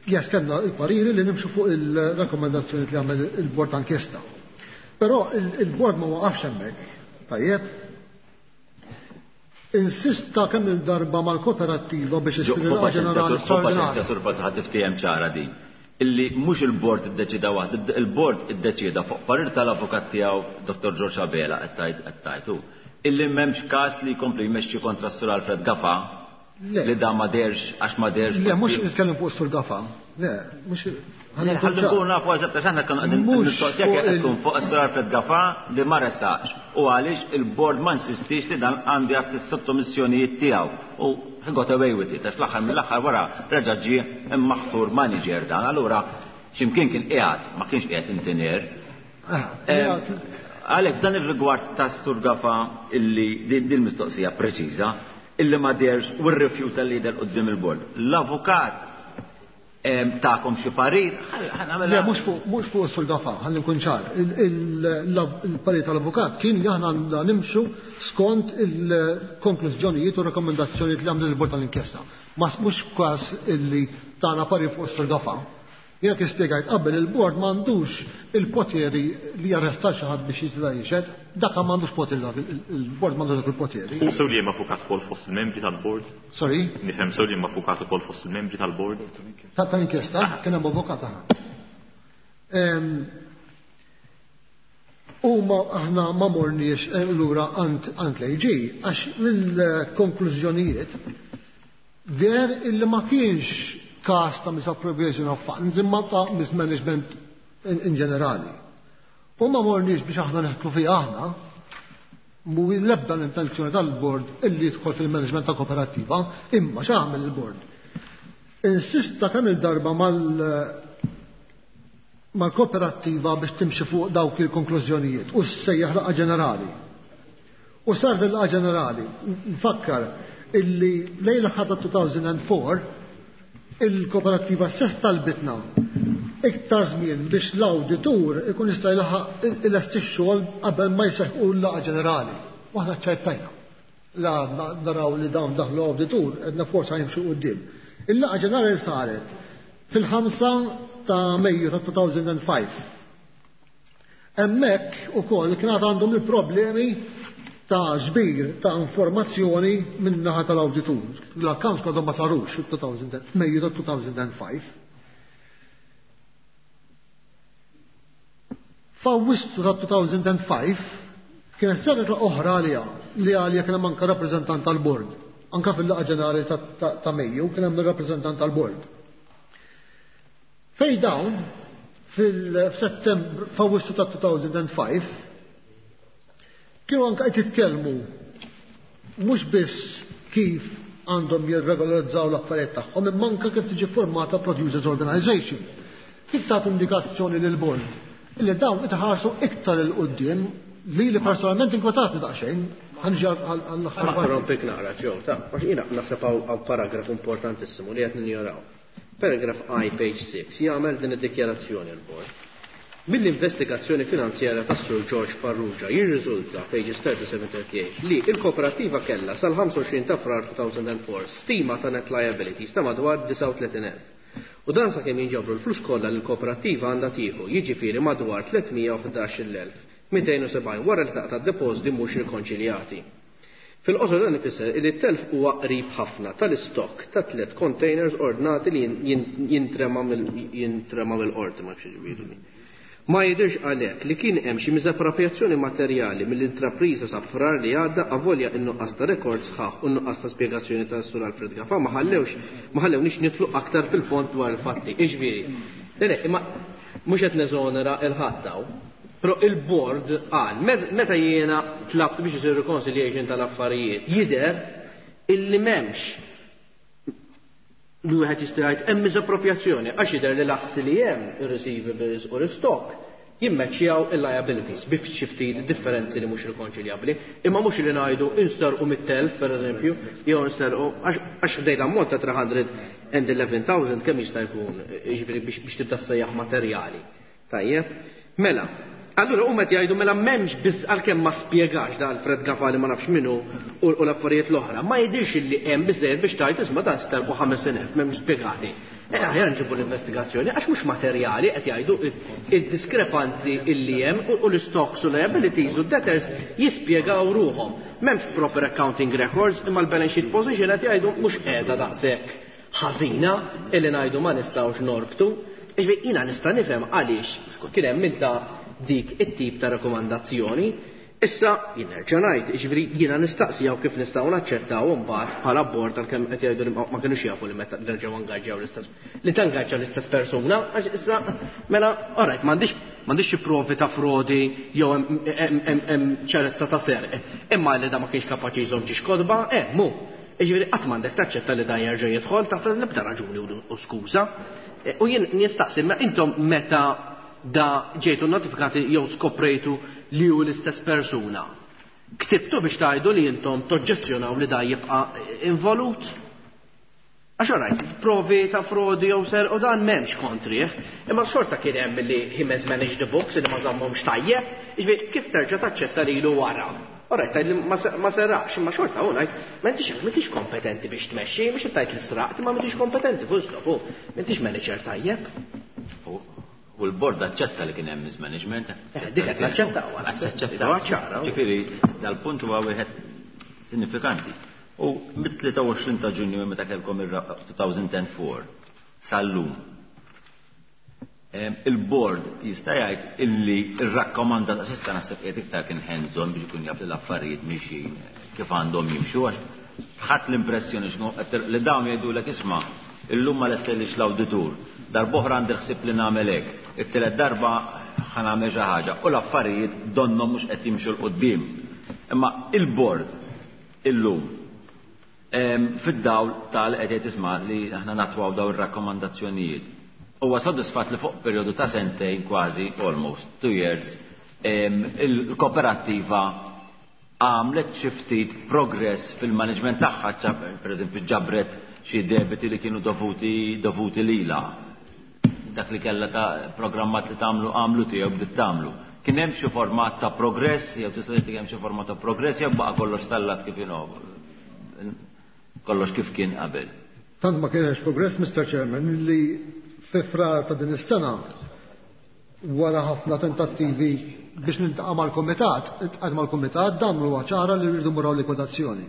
jes kellna il-pariri li nimxu fuq il-rakkomandazzjoni li għamel il-bord ta' inkjesta. Però il-bord ma waqafx hemmhekk, tajjeb. Insista kemm il-darba mal-kooperattiva biex issir laqgħa ġenerali straordinarja. Sur Falzon, ħa tiftiehem ċara din. Illi mhux il-bord iddeċida waħdu, il-bord iddeċida fuq parir tal-avukat tiegħu Dottor George Abela qed tgħid hu. Illi m'hemmx każ li jkompli jmexxi kontra s-Sur Alfred Gafa li da ma derx għax ma derx. Le, mhux nitkellem fuq s-Sur Gafa. Le, mhux Ħalli nkunu nafu eżatt għax aħna konna qegħdin mistoqsija kif qed tkun fuq is-Sur Alfred Gafa li ma resaqx u għaliex il-bord ma insistix li dan għandu jagħti s-sottomissjonijiet tiegħu. U he got away with it, għax fl-aħħar mill-aħħar wara reġa' ġie maħtur manager dan, allura x'imkien kien qiegħed, ma kienx qiegħed intinier. Għalhekk f'dan ir-rigward tas-Sur Gafa illi din mistoqsija preċiża illi ma derx u rrifjuta li jidher quddiem il-bord. L-avukat ta'kom xi parir? Le, mhux fuq mhux fuq is-Sur Gafa, ħalli nkun ċar. Il-parir tal-avukat kien li aħna għandna nimxu skont il-konklużjonijiet u rakkomandazzjonijiet li għamlet il-bord tal-inkjesta. Ma mhux każ illi tagħna parir fuq is-Sur Gafa. Jiena kif spjegajt qabel il-bord m'għandux il-poteri li jarresta xi ħadd biex jitla' jixhed, dak m'għandux poteri dak il-bord m'għandux dak il-poteri. U sew li hemm avukat ukoll fost il-membri tal-bord? Sorry? Nifhem sew li hemm avukat ukoll fost il-membri tal-bord? Tal-inkjesta kien hemm avukat aħna. Huma aħna ma morniex lura għand l-A G għax mill-konklużjonijiet der illi ma kienx każ ta' misappropriation of funds imma ta' mismanagement in ġenerali. U ma morniex biex aħna neħklu fiha aħna, mhu l-ebda l-intenzjoni tal-bord illi jidħol fil-management ta' kooperattiva, imma x'għamel il-bord? Insista kemm il-darba mal-kooperattiva biex timxi fuq dawk il-konklużjonijiet u ssejjaħ laqgħa ġenerali. U sar din laqgħa ġenerali, nfakkar illi lejn l-aħħar ta' two thousand four il-kooperattiva stess talbitna iktar żmien biex l-awditur ikun jista' jlaħaq ilesti x-xogħol qabel ma jseħħu l-laqgħa ġenerali. U aħna ċċettajna. La naraw li dawn daħlu awditur, għedna forsa jimxu quddiem. Il-laqgħa ġenerali saret fil-ħamsa ta' Mejju ta' two thousand five. Hemmhekk ukoll kien għandhom il-problemi ta' ġbir ta' informazzjoni minn naħa tal-awditur. L-accounts għadhom ma sarux fil-Mejju ta' two thousand five. F'Awwissu ta' two thousand five kienet saret oħra għalija li għalija kien hemm anke rappreżentant tal-bord. Anka fil-laqgħa ġenerali ta' Mejju kien hemm ir-rappreżentant tal-bord. Fej dawn fil-Settembru, f'Awwissu ta' two thousand five, kienu anka qed jitkellmu mhux biss kif għandhom jirregolarizzaw l-affarijiet tagħhom, imma anke kif tiġi formata Producers Organization. Kif tagħti indikazzjoni lil bord illi dawn itħarsu iktar 'il quddiem li li personalment inkwetatni daqsxejn. Ħanġi għall-aħħar. Ma rompik naqra ġew, ta' għax jiena naħseb hawn paragraf importantissimu li qed ninjoraw. Paragraph I, page six, jagħmel din id-dikjarazzjoni l-bord. Mill-investigazzjoni finanzjarja tas-Sur George Farrugia jirriżulta, pages thirty-seven thirty-eight, li il-kooperativa kellha sal-ħamsa u għoxrin ta' Frar two thousand four stima ta' net liabilities ta' madwar disgħa u tletin elf. U dan sakemm jinġabru l-flus kollha li l-kooperativa għandha tieħu, jiġifieri madwar tliet mija u ħdax-il elf mitejn u sebgħin wara li taqta' depożiti mhux rikonċiljati. Fil-qosor dan ifisser li t-telf huwa qrib ħafna tal-istokk ta' tliet containers ordnati li jintrema mill-qorti, ma nafx ġifieri. Ma jidirx għalhekk li kien hemm xi miżapproprjazzjoni materjali mill-intrapriża sa Frar li għadda, avolja in-nuqqas ta' rekord sħaħ u n-nuqqas ta' spjegazzjoni ta' Sur Alfred Gafa ma ħallewx ma ħallewniex nitlu aktar fil-fond dwar il-fatti. Iġifieri, le, le, imma mhux qed neżonera il-ħadd hawn. Però il-board qal, meta jiena tlabt biex isir reconciliation tal-affarijiet, jidher illi m'hemmx li wieħed jista' jgħid hemm miżapproprjazzjoni, għax jidher li l-assi li hemm, ir-receivables u l-stock, jimmeċċjaw il-liabilities bi xi ftit differenzi li mhux rikonċiljabbli, imma mhux li ngħidu instarqu mit-telf pereżempju, jew instarqu għax ħdejt ammont ta' three hundred eleven thousand kemm jista' jkun, jiġifieri biex tibda ssejjaħ materjali. Tajjeb, mela, allura huma qed jgħidu mela m'hemmx biss, għalkemm ma spjegax da Alfred Gafa li ma nafx minnu u l-affarijiet l-oħra, ma jidhirx li hemm biżejjed biex tgħid isma' dan sterqu ħames elef, m'hemmx spjegati. Eh, aħjar nġibu l-investigazzjoni, għax mhux materjali qed jgħidu id-diskrepanzi illi hemm u l-stocks u liabilities u debtors jispjegaw ruhom. M'hemmx proper accounting records, imma l-balance sheet position qed jgħidu mhux qiegħda daqshekk ħażina illi ngħidu ma nistgħux norbtu. Iġbi jiena nista' nifhem għaliex kien hemm inta dik it-tip ta' rakkomandazzjoni. Issa jien nerġa' ngħid, jiġifieri jiena nistaqsijaw kif nistgħu naċċettaw imbagħad bħala bord għalkemm qed jgħidu li ma kinux jafu li meta nerġgħu angaġġjaw l-istess li tangaġġa l-istess persuna, għax issa mela alright m'għandix m'għandix xi provi ta' frodi jew hemm ċarezza ta' serq. Imma li da ma kienx kapaċi jżomm ġiex kodba, eh mu. Jiġifieri qatt m'għandek taċċetta li dan jerġa' jidħol taħt l-ebda raġuni u skuża. U jien nistaqsi ma intom meta da ġejtu notifikati jew skoprejtu li hu l-istess persuna. Ktibtu biex tgħidu li intom toġġezzjonaw li da jibqa' involut? Għax orajt, provi ta' frodi jew ser u dan m'hemmx kontrih, imma xorta kien hemm li he managed the books li ma żammhomx tajjeb, jiġifieri kif terġa' taċċetta lilu wara? Orajt, tgħid li ma seraqx, imma xorta hu ngħid, m'intix m'intix kompetenti biex tmexxi, mhux qed tgħid li sraqt, imma m'intix kompetenti full stop, m'intix manager tajjeb. U l-bord aċċetta li kien hemm mismanagement. Dik qed naċċettaw. Aċċettaw. Ġifieri dal-punt huwa wieħed sinifikanti. U mit-tlieta u għoxrin ta' Ġunju meta kellkom ir-two thousand and four sal-lum. Il-bord jista' jgħid illi rrakkomanda, s'issa naħseb qiegħed iktar kien hands-on biex ikun jaf li l-affarijiet mixjin kif għandhom jimxu, għax ħadd l-impressjoni li dawn jgħidulek isma' illum ma lestellix l-awditur, darb'oħra għandi ħsieb li nagħmel hekk, it-tielet darba ħa nagħmel xi ħaġa u l-affarijiet donnhom mhux qed jimxu 'l quddiem. Imma il-bord illum fid-dawl tal qed jgħid isma' li aħna natwaw daw ir-rakkomandazzjonijiet. Huwa sodisfatt li fuq perjodu ta' sentejn kważi, almost two years, il-kooperattiva għamlet xi ftit progress fil-management tagħha, pereżempju ġabret xi debiti li kienu dovuti dovuti lila. Dak li kellha ta' programmat li tagħmlu għamlu tiegħu bdiet tagħmlu. Kien hemm xi format ta' progress, jew tista' tgħid hemm xi format ta' progress jew baqa' kollox stallat kif inhu, kollox kif kien qabel? Tant ma kienx progress, Mister Chairman, li fi Frar ta' din is-sena, wara ħafna tentattivi biex niltaqa' mal-kumitat, iltqajt mal-kumitat, damlu ċara li rridu mmorru likwidazzjoni.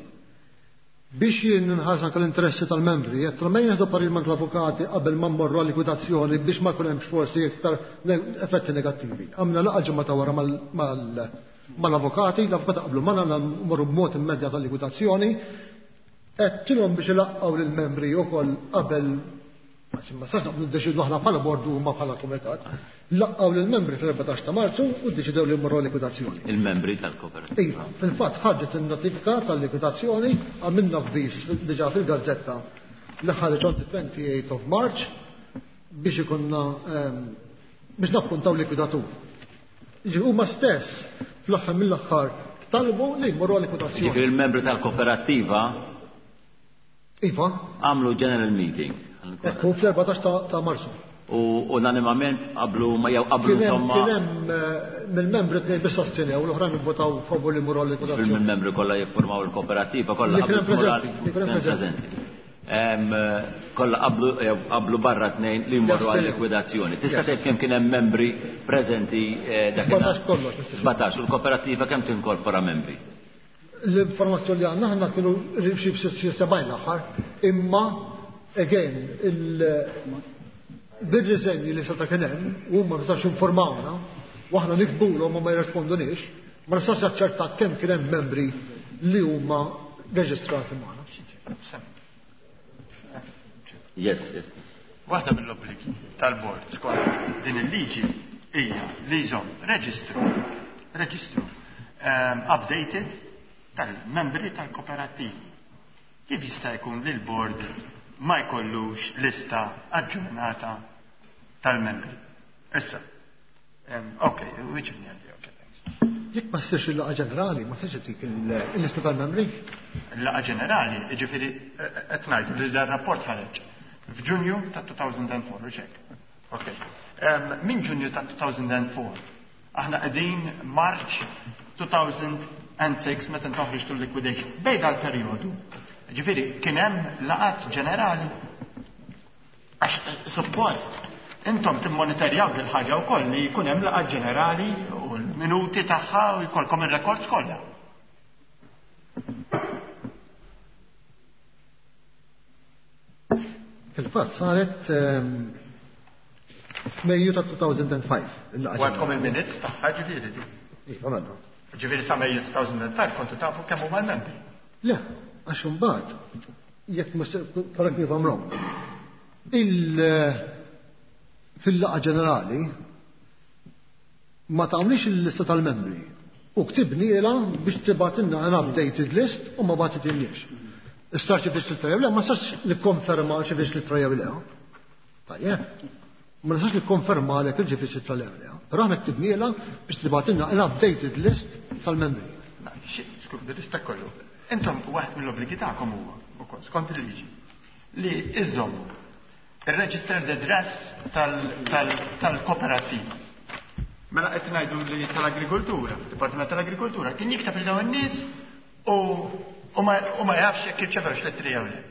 Biex jien nħares anke l-interessi tal-membri, jekk ma jieħdu parir l-avukati qabel ma mmorru likwidazzjoni biex ma jkun hemmx forsi iktar effetti negattivi. Għamna laqgħa ġimgħa ta' wara mal-avukati, l-avukati qablu magħna mmorru b'mod immedjat tal-likwidazzjoni, għedtilhom biex ilaqqgħu lill-membri wkoll qabel, ma sax naqblu ddeċidu aħna bħala bordu u ma bħala kumitat. Laqqgħu lill-membri fil-erbatax ta' Marzu u ddeċidew li mmorru likwidazzjoni. Il-membri tal-kooperativa. Iva, fil-fatt ħarġet il-notifika tal-likwidazzjoni, għamilna avviż diġà fil-gazzetta li ħareġ on the twenty-eighth of March biex ikunna biex nappuntaw likwidatur. Ġi huma stess fl-aħħar mill-aħħar talbu li jmorru likwidazzjoni. Ġifieri il-membri tal-kooperattiva Iva. għamlu general meeting. Ekku, fl-erbatax ta' Marzu. U unanimament qablu ma jew qablu insomma. Kien hemm mill-membri tnejn biss astjenew, l-oħrajn ivvotaw favur li jmorru likwidazzjoni. Fil-membri kollha jiffurmaw il-kooperativa kollha Li kien hemm preżenti, li kien hemm preżenti. Kollha qablu qablu barra tnejn li jmorru għal likwidazzjoni. Tista' tgħid kemm kien hemm membri preżenti dakinhar? sbatax kollox. sbatax, u l-kooperativa kemm tinkorpora membri? L-informazzjoni li għandna aħna kienu xi sebgħin l-aħħar, imma again bil-riżenji li seta' kien hemm, huma ma nistax informawna, u aħna niktbulhom u ma jirrisponduniex, ma nistax naċċerta kemm kien hemm membri li huma reġistrati magħna. Yes, yes. Waħda mill-obbligi tal-bord skont din il-liġi hija li jżomm reġistru, reġistru um, updated tal-membri tal-kooperattivi. Kif jista' jkun li l-bord ma jkollux lista aġġornata tal-membri? Issa, um, ok, weġibni għandi, ok, thanks. Jekk ma ssirx il-laqgħa ġenerali, ma tistax tik il-lista tal-membri? Il-laqgħa ġenerali, jiġifieri qed ngħidu li dan rapport ħareġ f'Ġunju ta' elfejn u erbgħa, u hekk. Ok. Um, Minn Ġunju ta' elfejn u erbgħa, aħna qegħdin March elfejn u sitta meta toħroġ liquidation. Bejn dal-perjodu, ġifieri kien hemm laqgħat ġenerali. Għax suppost intom timmonitorjaw dil ħaġa wkoll li jkun hemm laqgħa ġenerali u l-minuti tagħha u jkollkom ir-rekords kollha. Fil-fatt saret f'Mejju ta' two thousand five. U għandkom il-minutes tagħha, ġifieri di. Iva, mela. Ġifieri sa Mejju two thousand five kontu tafu kemm huma l-membri. Le, għax imbagħad, jekk, correct me if I'm wrong, il fil-laqgħa ġenerali ma tagħmlix il-lista tal-membri. U ktibnielha biex tibgħatilna an updated list u ma bagħtitilniex. Istar xi fiex l jew le, ma nistax nikkonferma xi fiex l jew le. Tajjeb. Ma nistax nikkonferma għalek il ġifiex l jew le. Però aħna ktibnielha biex tibgħatilna an updated list tal-membri. Skuż, bir-rispett kollu. Intom waħed mill-obbligi tagħkom huwa wkoll skont il-liġi li iżommu il-registered address tal-kooperativa. Mela qed ngħidu li tal-agrikoltura, Dipartiment tal-Agrikoltura kien jikteb il dawn in-nies u u ma jafx jekk irċevewx l-ittri jew le.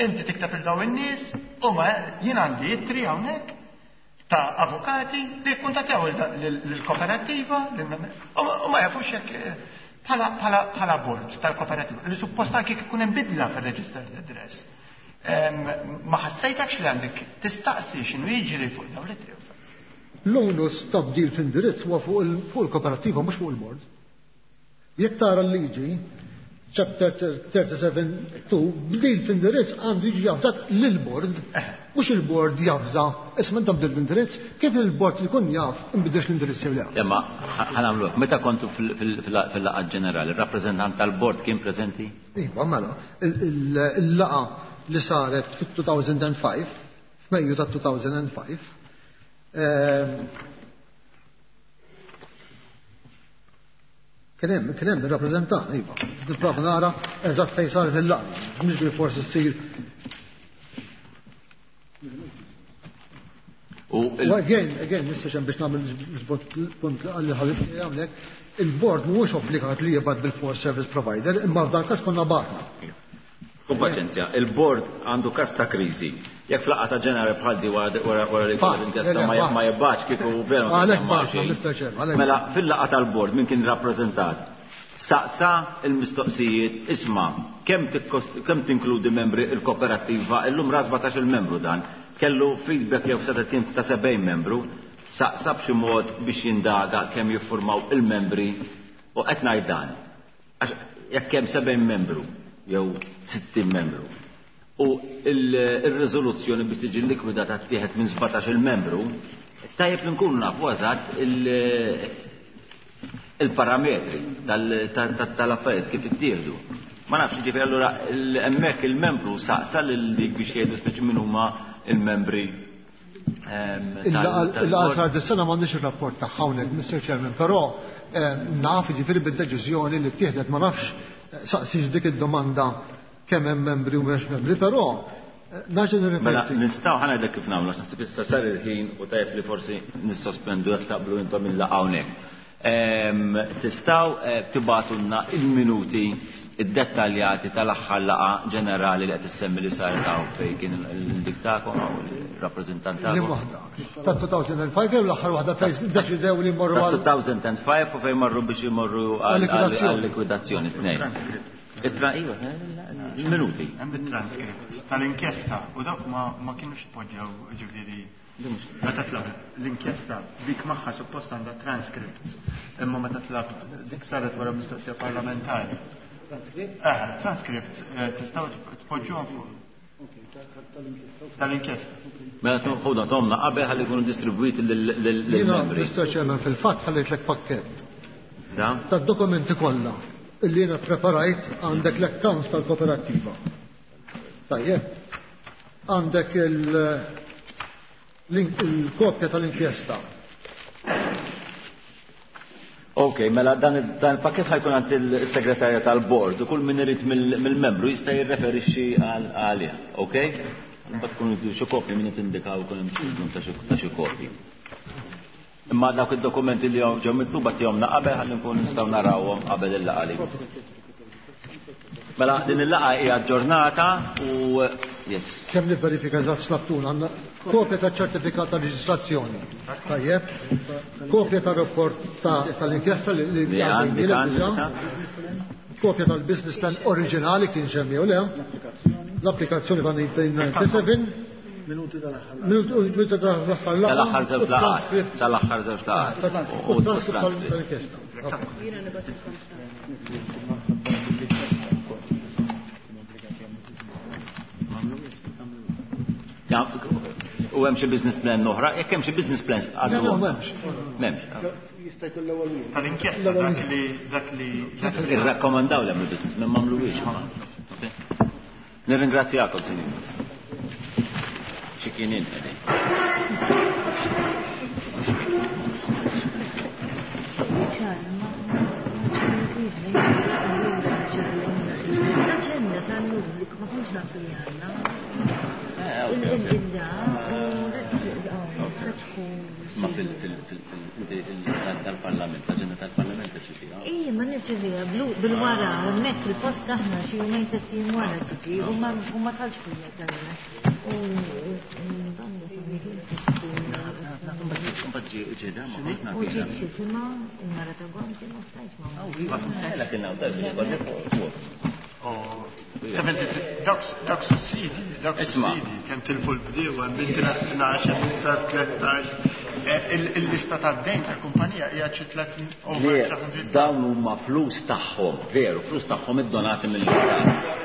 Inti tikteb il dawn in-nies u ma jien għandi ittri hawnhekk ta' avukati li kkuntattjaw lill-kooperativa u ma jafux jekk bħala bord tal-kooperativa li suppost anke ikun hemm bidla fir-registered address. Ma ħassejtakx li għandek tistaqsi x'inhu jiġri fuq dawn l-ittri? L-onus ta' bdil f'indirizz huwa fuq il-kooperativa, mhux fuq il-bord. Jekk tara l-liġi, chapter thirty-seven two, bdil f'indirizz għandu jiġi javżat lill-bord, mhux il-bord javża, isma' inta bdil l-indirizz, kif il-bord li jkun jaf inbidilx l-indirizz jew le. Imma ħa nagħmlu, meta kontu fil-laqgħa ġenerali, il-rappreżentant tal-bord kien preżenti? Iva, mela, il-laqgħa li saret fit-two thousand five, f'Mejju ta' two thousand five, ehm, kien hemm kien hemm ir-rappreżentant, iva. Nipprova nara eżatt fejn saret il-laqgħa. Mhux bil-forsi ssir. U U again, again, Mister Chairman, biex nagħmel punt għalli ħabib hawnhekk, il-board mhuwiex obbligat li jibgħat bil-force service provider, imma f'dan każ konna bagħatna. Kun paċenzja, il-bord għandu kas ta' kriżi. Jekk f'laqgħa ta' ġenerali bħal di wara wara li Fatt, l-inkjesta le, ma le, ma jibgħatx kieku veru. Għalhekk ma bagħatna, xejn. Mister Chairman, għalhekk. Mela fil-laqgħa tal-bord min kien rappreżentat? Saqsa il-mistoqsijiet, isma' kemm tikkost- kemm tinkludi membri il-kooperativa, illum ra sbatax il-membru dan, kellu feedback jew seta' kien ta' sebgħin membru, saqsa b'xi mod biex jindaga kemm jiffurmaw il-membri u qed ngħid dan. Għax jekk hemm sebgħin membru jew sittin membru u il-riżoluzzjoni biex tiġi likwidata tieħed minn sbatax il-membru, tajjeb li nkunu nafu eżatt il- il-parametri tal- tal- tal-affarijiet kif ittieħdu. Ma nafx, ġifieri allura il- hemmhekk il-membru saqsa lil dik biex jgħidu speċi min huma il-membri ehm, tal- Il-laqgħa tal-bord. sar dis-sena m'għandix ir-rapport ta' hawnhekk, Mister Chairman, però eh, naf ġifieri bid-deċiżjoni li ttieħdet, ma nafx eh, saqsix dik id-domanda kemm hemm membri u m'hemmx membri, però eh, nerġa' Mela, nirrepeti. nistgħu ħa ngħidlek kif nagħmlu, għax naħseb issa sar il-ħin u tajjeb li forsi nissospendu jekk taqblu intom il-laqgħa hawnhekk. Ehm, Tistgħu eh, tibgħatulna il-minuti id-dettaljati tal-aħħar laqgħa ġenerali li qed issemmi li saret hawn fejn kien il-dik tagħkom hawn il-rappreżentant Li tagħkom. waħda. Ta' two thousand five jew l-aħħar waħda fejn deċidew li jmorru Ta' għal two thousand five u fejn marru biex imorru Għal-likwidazzjoni. għal-likwidazzjoni tnejn. It-tra iva, il-minuti. Hemm bit-transcript tal-inkjesta u dawk ma ma kienux poġġew, ġifieri meta tlab l-inkjesta dik magħha suppost għandha transcripts, imma meta tlab dik saret wara mistoqsija parlamentari. Transcript? Eh, transcripts eh, tistgħu tpoġġuhom fuq tal-inkjesta. Mela ħuda tomna qabel ħalli jkunu distribwiti Jiena, lill-membri. Mister Chairman, fil-fatt ħallejtlek pakkett Da? tad-dokumenti kollha illi jiena preparajt. Għandek l-accounts tal-kooperativa. Tajjeb. Għandek il- il-kopja tal-inkjesta. Ok, mela dan dan il-pakket ħa jkun għand il-segretarja tal-bord u kull min irid mill-membru jista' jirreferixxi għal għalih, ok? Mbagħad tkun xi kopji min tindikaw ikun hemm bżonn ta' xi ta' xi kopji. Imma dawk id-dokumenti li ġew mitluba tihomna qabel ħalli nkunu nistgħu narawhom qabel il-laqgħa li jmiss. Mela din il-laqgħa hija aġġornata u yes. Kemm nivverifika eżatt x'labtuna għandna kopja ta' ċertifikat ta' reġistrazzjoni. Tajjeb. Kopja ta' rapport tal-inkjesta li għandi diġà. Kopja tal-business plan oriġinali kien xemmi u le. L-applikazzjoni ta' milleċ disgħa u sebgħin. Minuti tal-aħħar. Minuti tal-aħħar laqgħa. Tal-aħħar żewġ laqgħat. Tal-aħħar żewġ laqgħat. U transcript tal-inkjesta. Jiena nibgħatilkom U hemm xi business plan oħra, jekk hemm xi business plans għadu. M'hemmx. M'hemmx. Jista' jkun l-ewwel wieħed. Tal-inkjesta dak li dak li irrakkomandaw li hemm il-business plan m'għamluhiex. Nirringrazzjakom, sinjur. Xi kien inqegħdin. L-aġenda tal-lum li ma kontx naf li għandna. Il-da u fetħu. Ma fil-tal-parlament, l-aġenda tal-parlament irċifiha? Ej, ma nirċifiha bil-wara, hemmhekk il-post aħna xi jumejn tliet ijiem wara tiġi u ma talx fil-meta. U banda U ġiet xi sima, il-mara ta' Gonzi ma stajtx ma. Dawk sussidi, dawk sussidi, kemm tilfu l-bdiewa, minn tnax, minn tlettax, il-lista tad-dejn tal-kumpanija hija xi tliet over tliet mitt. Dawn huma flus tagħhom, veru, flus tagħhom iddonati mill-istat.